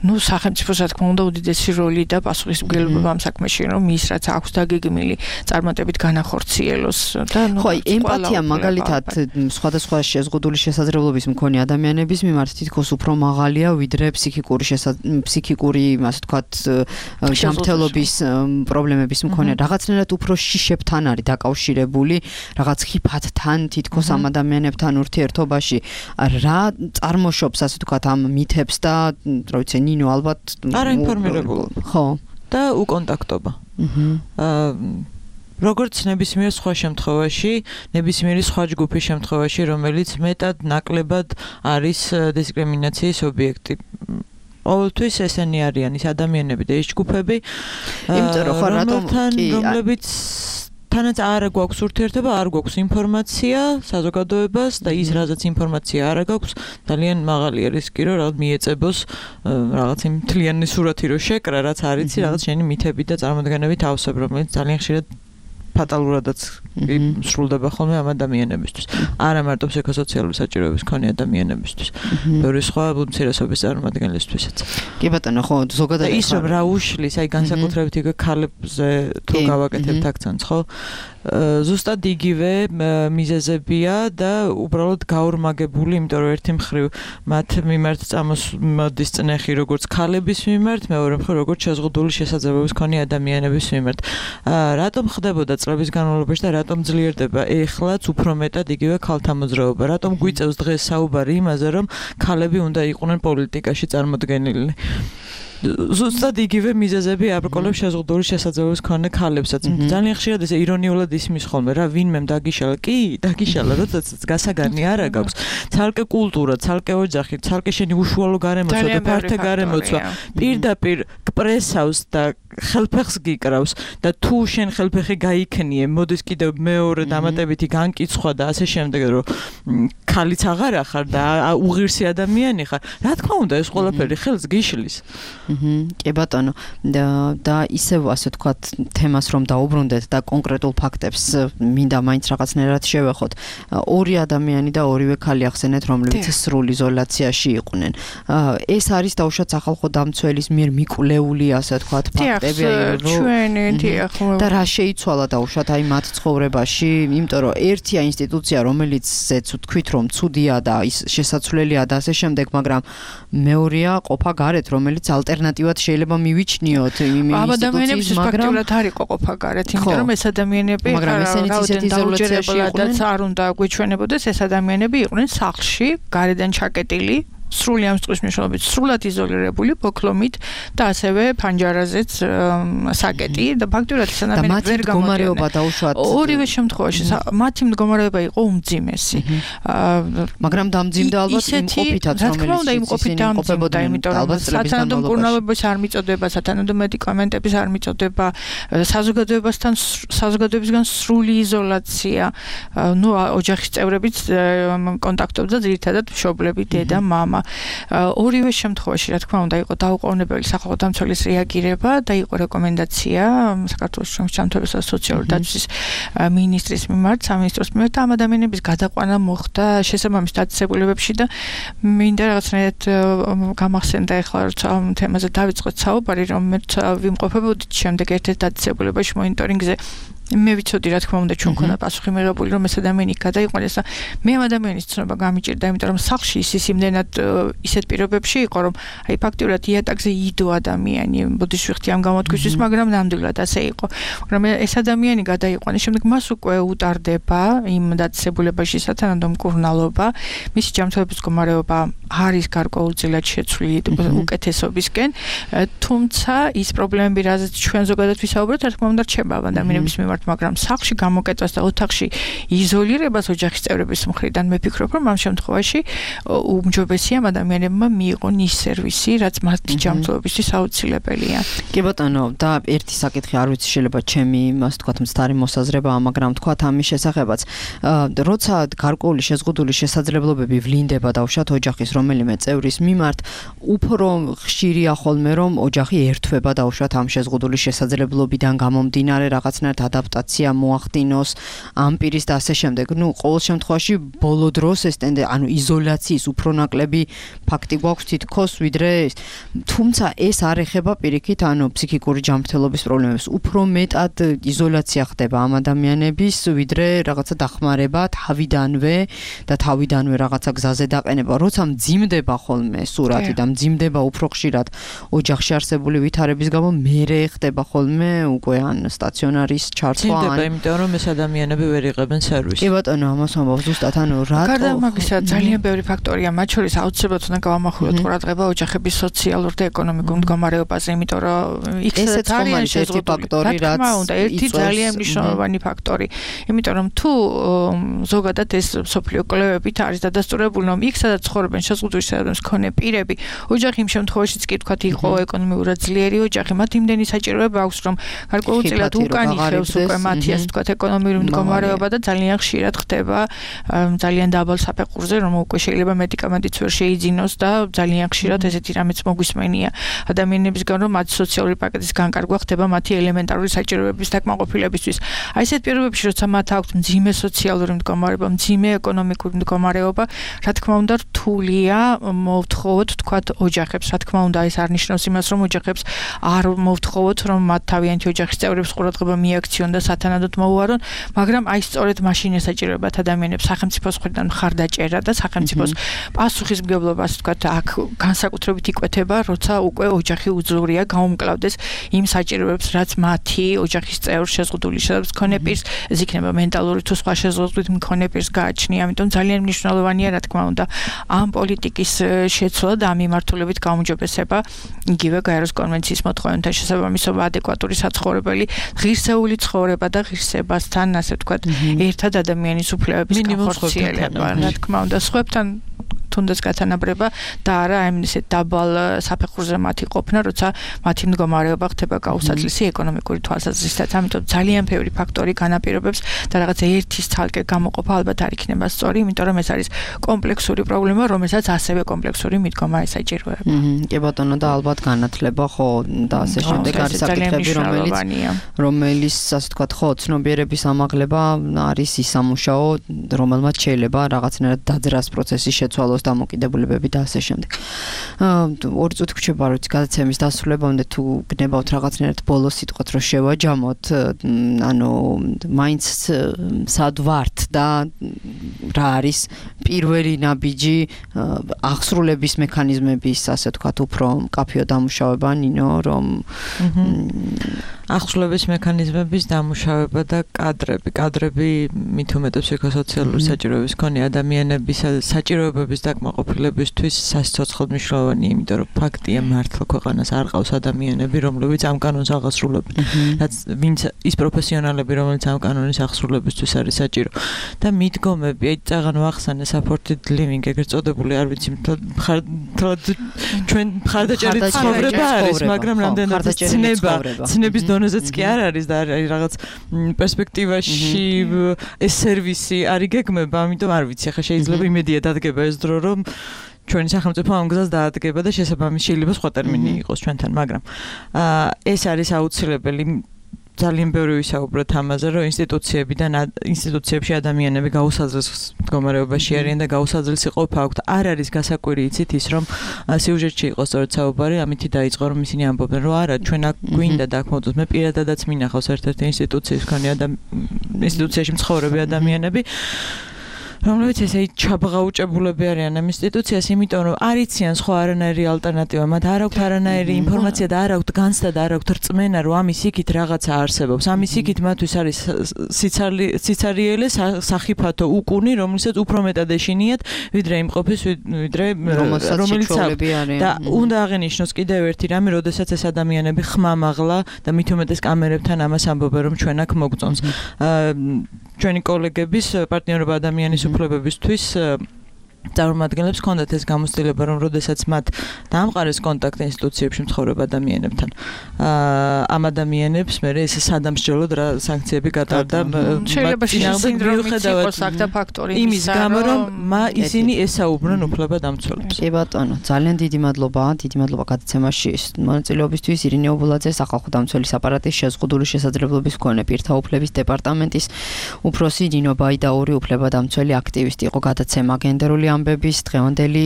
ნუ სახელმწიფოს რა თქმა უნდა უდიდესი როლი და პასუხისმგებლობა ამ საქმეში, რომ ის რაც აქვს დაგეგმილი წარმატებით განახორციელოს და ნუ ხო, ემპათია მაგალითად სხვადასხვა შეზღუდული შესაძლებლობის მქონე ადამიანების მიმართ თითქოს უფრო მაღალია ვიდრე ფსიქიკური ფსიქიკური, ასე ვთქვათ, ჯანმრთელობის პრობლემების მქონე. რაღაცნაირად უფრო შიშებთან არის დაკავშირებული, რაღაც ხიფათთან თითქოს ამ ადამიანებთან ურთიერთობაში. რა წარმოშობს, ასე ვთქვათ, ამ მითებს და რა ვიცი, ნინო ალბათ არაინფორმირებულობა. ხო. და უკონტაქტობა. აა როგორც ნებისმიერ სხვა შემთხვევაში, ნებისმიერი სხვა ჯგუფის შემთხვევაში, რომელიც მეტად ნაკლებად არის დისკრიმინაციის ობიექტი. ყოველთვის ესენი არიან ის ადამიანები და ის ჯგუფები, რომლებიც თანაც არ გვაქვს ურთიერთობა, არ გვაქვს ინფორმაცია საზოგადოებას და ის რაზეც ინფორმაცია არ გვაქვს, ძალიან მაღალია რისკი, რომ რაღაც მიეწებოს რაღაც იმ მთლიანი სურათი რო შეკრა, რაც არის რაღაც შენი მითები და წარმოდგენები თავსებ, რომელიც ძალიან ხშირად ფატალურადაც სრულდება ხოლმე ამ ადამიანებისთვის. არა მარტო ფსიქოსოციალური საჭიროების მქონე ადამიანებისთვის. ბევრი სხვა უმცირესობის წარმომადგენლისთვისაც. კი ბატონო, ხო, ზოგადად ის რომ რა უშლის, აი განსაკუთრებით იგივე ქალებზე თუ გავაკეთებთ აქცენტს, ხო? ზუსტად იგივე მიზეზებია და უბრალოდ გაორმაგებული, იმიტომ რომ ერთი მხრივ მათ მიმართ წამოსდის წნეხი როგორც ქალების მიმართ, მეორე მხრივ როგორც შეზღუდული შესაძლებლობის მქონე ადამიანების მიმართ. რატომ ხდებოდა წლების განმავლობაში და რატომ ძლიერდება ეხლაც უფრო მეტად იგივე ქალთა მოძრაობა? რატომ გვიწევს დღეს საუბარი იმაზე, რომ ქალები უნდა იყვნენ პოლიტიკაში წარმოდგენილნი? ზუსტად იგივე მიზეზები აბრკოლებს შეზღუდული შესაძლებლობის მქონე ქალებსაც. ძალიან ხშირად ესე ირონიულად ისმის ხოლმე, რა ვინმემ დაგიშალა? კი, დაგიშალა, როდესაც გასაგანი არა გაქვს. ცალკე კულტურა, ცალკე ოჯახი, ცალკე შენი უშუალო გარემოცვა და ფართე გარემოცვა პირდაპირ პრესავს და ხელფეხს გიკრავს და თუ შენ ხელფეხი გაიქნიე, მოდის კიდევ მეორე დამატებითი განკიცხვა და ასე შემდეგ, რომ ქალიც აღარ ახარ და უღირსი ადამიანი ხარ. რა თქმა უნდა, ეს ყველაფერი ხელს გიშლის. კი ბატონო, და ისევ ასე ვთქვათ, თემას რომ დაუბრუნდეთ და კონკრეტულ ფაქტებს მინდა მაინც რაღაცნაირად შევეხოთ. ორი ადამიანი და ორივე ქალი ახსენეთ, რომლებიც სრულ იზოლაციაში იყვნენ. ეს არის დაუშვათ სახალხო დამცველის მიერ მიკვლეული, ასე ვთქვათ, ფაქტები, რომ და რა შეიცვალა დაუშვათ აი მათ ცხოვრებაში, იმიტომ რომ ერთია ინსტიტუცია, რომელიცაც ვთქვით, რომ ცუდია და ის შესაძლებელია და ასე შემდეგ, მაგრამ მეორეა ყოფა გარეთ, რომელიც ალტერნატივად შეიძლება მივიჩნიოთ იმ ინსტიტუციის, მაგრამ ფაქტობრივად არ იყო ყოფა გარეთ, იმიტომ რომ ეს ადამიანები რაოდენობით არ უნდა გვეჩვენებოდეს, ეს ადამიანები იყვნენ სახლში, გარედან ჩაკეტილი, სრული ამ წყვის მნიშვნელობით სრულად იზოლირებული, ბოქლომით და ასევე ფანჯარაზეც საკეტი და ფაქტობრივად ეს ადამიანები ვერ გამოდიოდნენ. ორივე შემთხვევაში მათი მდგომარეობა იყო უმძიმესი. მაგრამ დამძიმდა ალბათ იმყოფითაც, რომელიც იმყოფით დამძიმდა, იმიტომ რომ სათანადო მკურნალობის არ მიწოდება, სათანადო მედიკამენტების არ მიწოდება, საზოგადოებასთან საზოგადოებისგან სრული იზოლაცია, ნუ ოჯახის წევრებიც კონტაქტობდა ძირითადად მშობლები, დედა, მამა. ორივე შემთხვევაში, რა თქმა უნდა, იყო დაუყოვნებელი სახალხო დამცველის რეაგირება და იყო რეკომენდაცია საქართველოს ჯანმრთელობის და სოციალური დაცვის მინისტრის მიმართ, სამინისტროს მიმართ და ამ ადამიანების გადაყვანა მოხდა შესაბამის დაწესებულებებში და მინდა რაღაცნაირად გამახსენდა ახლა როცა ამ თემაზე დავიწყოთ საუბარი, რომ მე ვიმყოფებოდით შემდეგ ერთ-ერთ დაწესებულებაში მონიტორინგზე მე ვიცოდი რა თქმა უნდა ჩვენ ქონდა პასუხი მიღებული რომ ეს ადამიანი გადაიყვანეს და მე ამ ადამიანის ცნობა გამიჭირდა იმიტომ რომ სახლში ის იმდენად ისეთ პირობებში იყო რომ აი ფაქტიურად იატაკზე იდო ადამიანი ბოდიში ვიხდი ამ გამოთქვისთვის მაგრამ ნამდვილად ასე იყო მაგრამ ეს ადამიანი გადაიყვანეს შემდეგ მას უკვე უტარდება იმ დაწესებულებაში სათანადო მკურნალობა მისი ჯანმრთელობის მდგომარეობა არის გარკვეულწილად შეცვლილი უკეთესობისკენ თუმცა ის პრობლემები რაზეც ჩვენ ზოგადად ვისაუბრეთ რა თქმა უნდა რჩება ადამიანების მიმართ მაგრამ სახლში გამოკეტვას და ოთახში იზოლირებას ოჯახის წევრების მხრიდან მე ვფიქრობ რომ ამ შემთხვევაში უმჯობესია ადამიანებმა მიიღონ ის სერვისი რაც მათი ჯანმრთელობისთვის აუცილებელია კი ბატონო და ერთი საკითხი არ ვიცი შეიძლება ჩემი იმას თქვა მცდარი მოსაზრებაა მაგრამ თქვა ამის შესახებაც როცა გარკვეული შეზღუდული შესაძლებლობები ვლინდება დავშათ ოჯახის რომელიმე წევრის მიმართ უფრო ხშირია ხოლმე რომ ოჯახი ერთვება დავშათ ამ შეზღუდული შესაძლებლობიდან გამომდინარე რაღაცნაირად ადაპტაცია მოახდინოს ამ პირის და ასე შემდეგ ნუ ყოველ შემთხვევაში ბოლო დროს ეს ტენდე ანუ იზოლაციის უფრო ნაკლები ფაქტი გვაქვს თითქოს ვიდრე ეს თუმცა ეს არ ეხება პირიქით ანუ ფსიქიკური ჯანმრთელობის პრობლემებს უფრო მეტად იზოლაცია ხდება ამ ადამიანების ვიდრე რაღაცა დახმარება თავიდანვე და თავიდანვე რაღაცა გზაზე დაყენება როცა მძიმდება ხოლმე სურათი და მძიმდება უფრო ხშირად ოჯახში არსებული ვითარების გამო მერე ხდება ხოლმე უკვე ან სტაციონარის ჩართვა ან იმიტომ რომ ეს ადამიანები ვერ იღებენ სერვისს კი ბატონო ამას ამბობს ზუსტად ანუ რატო გარდა მაგისა ძალიან ბევრი ფაქტორია მათ შორის აუცილებლად უნდა გავამახვილოთ ყურადღება ოჯახების სოციალურ და ეკონომიკურ მდგომარეობაზე იმიტომ რომ იქცეთ ძალიან შეზღუდული ფაქტორი რაც უნდა ერთი ძალიან მნიშვნელოვანი ფაქტორი იმიტომ რომ თუ ზოგადად ეს სოფლიო კვლევებით არის დადასტურებული რომ იქ სადაც ცხოვრობენ შეზღუდული საერთოდ მქონე პირები ოჯახი იმ შემთხვევაშიც კი თქვათ იყო ეკონომიკურად ძლიერი ოჯახი მათ იმდენი საჭიროება აქვს რომ გარკვეულწილად უკანი ხევს უკვე მათი ასე თქვათ ეკონომიკური მდგომარეობა და ძალიან ხშირად ხდება ძალიან დაბალ საფეხურზე რომ უკვე შეიძლება მედიკამენტიც ვერ შეიძინოს და ძალიან ხშირად ესეთი რამეც მოგვისმენია ადამიანებისგან რომ მათი სოციალური პაკეტის განკარგვა ხდება მათი ელემენტარული საჭიროებების დაკმაყოფილებისთვის აი ესეთ პირობებში როცა მათ აქვთ მძიმე სოციალური მდგომარეობა მძიმე ეკონომიკური მდგომარეობა რა თქმა უნდა რთულია მოვთხოვოთ თქვათ ოჯახებს რა თქმა უნდა ეს არ ნიშნავს იმას რომ ოჯახებს არ მოვთხოვოთ რომ მათ თავიანთი ოჯახის წევრებს ყურადღება მიაქციონ და სათანადოდ მოუარონ მაგრამ აი სწორედ მაშინ ესაჭიროებათ ადამიანებს სახელმწიფოს მხრიდან მხარდაჭერა და სახელმწიფოს პასუხისმგებლობა ასე ვთქვათ აქ განსაკუთრებით იკვეთება როცა უკვე ოჯახი უძლურია გაუმკლავდეს იმ საჭიროებებს რაც მათი ოჯახის წევრ შეზღუდული შესაძლებლობის მქონე პირს ეს იქნება მენტალური თუ სხვა შეზღუდული მქონე პირს გააჩნია ამიტომ ძალიან მნიშვნელოვანია რა თქმა უნდა ამ პოლიტიკის შეცვლა და ამ მიმართულებით გაუმჯობესება იგივე გაეროს კონვენციის მოთხოვნებთან შესაბამისობა ადეკვატური საცხოვრებელი ღირსეული ცხოვრება და ღირსებასთან ასე ვთქვათ ერთად ადამიანის უფლებების განხორციელება რა თქმა უნდა სხვებთან თუნდაც გათანაბრება და არა ამ ისეთ დაბალ საფეხურზე მათი ყოფნა, როცა მათი მდგომარეობა ხდება გაუსაცლისი ეკონომიკური თვალსაზრისით. ამიტომ ძალიან ბევრი ფაქტორი განაპირობებს და რაღაც ერთის ცალკე გამოყოფა ალბათ არ იქნება სწორი, იმიტომ რომ ეს არის კომპლექსური პრობლემა, რომელსაც ასევე კომპლექსური მიდგომა ესაჭიროება. კი ბატონო და ალბათ განათლება ხო და ასე შემდეგ არის საკითხები, რომელიც რომელიც ასე ვთქვათ, ხო, ცნობიერების ამაღლება არის ის სამუშაო, რომელმაც შეიძლება რაღაცნაირად დაძრას პროცესის შეცვალოს დამოკიდებულებები და ასე შემდეგ. ორი წუთი გვჭირდება რომ გადაცემის დასრულებამდე თუ გნებავთ რაღაცნაირად ბოლო სიტყვათ რომ შევაჯამოთ, ანუ მაინც სად ვართ და რა არის პირველი ნაბიჯი აღსრულების მექანიზმების, ასე ვთქვათ, უფრო მკაფიო დამუშავება, ნინო, რომ აღსრულების მექანიზმების დამუშავება და კადრები, კადრები მით უმეტეს ფსიქოსოციალური საჭიროების მქონე ადამიანების საჭიროებების დაკმაყოფილებისთვის სასიცოცხლოდ მნიშვნელოვანია, იმიტომ რომ ფაქტია მართლა ქვეყანას არ ყავს ადამიანები, რომლებიც ამ კანონს აღასრულებენ. რაც ვინც ის პროფესიონალები, რომლებიც ამ კანონის აღსრულებისთვის არის საჭირო. და მიდგომები, აი წაღან ვახსენე supported living, ეგრეთ წოდებული, არ ვიცი, ჩვენ მხარდაჭერით ცხოვრება არის, მაგრამ რამდენად ცნება, ცნების დონეზეც კი არ არის და არის რაღაც პერსპექტივაში ეს სერვისი არ იგეგმება, ამიტომ არ ვიცი, ახლა შეიძლება იმედია დადგება ეს დრო, რომ ჩვენი სახელმწიფო ამ გზას დაადგება და შესაბამის შეიძლება სხვა ტერმინი იყოს ჩვენთან, მაგრამ ეს არის აუცილებელი ძალიან ბევრი ვისაუბროთ ამაზე, რომ ინსტიტუციებიდან ინსტიტუციებში ადამიანები გაუსაძლებელს მდგომარეობაში არიან და გაუსაძლებელს ყოფა აქვთ. არ არის გასაკვირი იცით ის, რომ სიუჟეტში იყო სწორედ საუბარი, ამითი დაიწყო, რომ ისინი ამბობენ, რომ არა, ჩვენ აქ გვინდა დაგმოდოთ. მე პირადადაც მინახავს ერთ-ერთი ინსტიტუციის მქონე ინსტიტუციაში მცხოვრები ადამიანები, რომლებიც ესე ჩაბღაუჭებულები არიან ამ ინსტიტუციას, იმიტომ რომ არ იციან სხვა არანაირი ალტერნატივა, მათ არ აქვთ არანაირი ინფორმაცია და არ აქვთ განცდა და არ აქვთ რწმენა, რომ ამის იქით რაღაცა არსებობს. ამის იქით მათთვის არის სიცარიელე სახიფათო უკუნი, რომელსაც უფრო მეტად ეშინიათ, ვიდრე იმყოფის, ვიდრე რომელიც აქვს. და უნდა აღენიშნოს კიდევ ერთი რამე, როდესაც ეს ადამიანები ხმამაღლა და მით უმეტეს კამერებთან ამას ამბობენ, რომ ჩვენ აქ მოგწონს. ჩვენი კოლეგების პარტნიორობა ადამიანის უფლებებისთვის წარმომადგენლებს ჰქონდათ ეს გამოცდილება, რომ როდესაც მათ დაამყარეს კონტაქტი ინსტიტუციებში მცხოვრებ ადამიანებთან, ამ ადამიანებს მე ეს სადამსჯელოდ რა სანქციები გატარდა. შეიძლება სინდრომიც იყოს აქ და ფაქტორი იმის გამო, რომ ისინი ესაუბრონ უფლებადამცველებს. კი ბატონო, ძალიან დიდი მადლობა, დიდი მადლობა გადაცემაში მონაწილეობისთვის. ირინე ობოლაძე, სახალხო დამცველის აპარატის შეზღუდული შესაძლებლობის მქონე პირთა უფლების დეპარტამენტის უფროსი, ნინო ბაიდაური უფლებადამცველი აქტივისტი იყო გადაცემა გენდერული ამბების დღევანდელი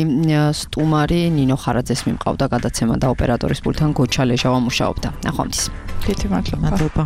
სტუმარი ნინო ხარაძეს მიმყავდა გადაცემა და ოპერატორის პულტთან გოჩა ლეჟავა მუშაობდა. ნახვამდის. დიდი მადლობა. მადლობა.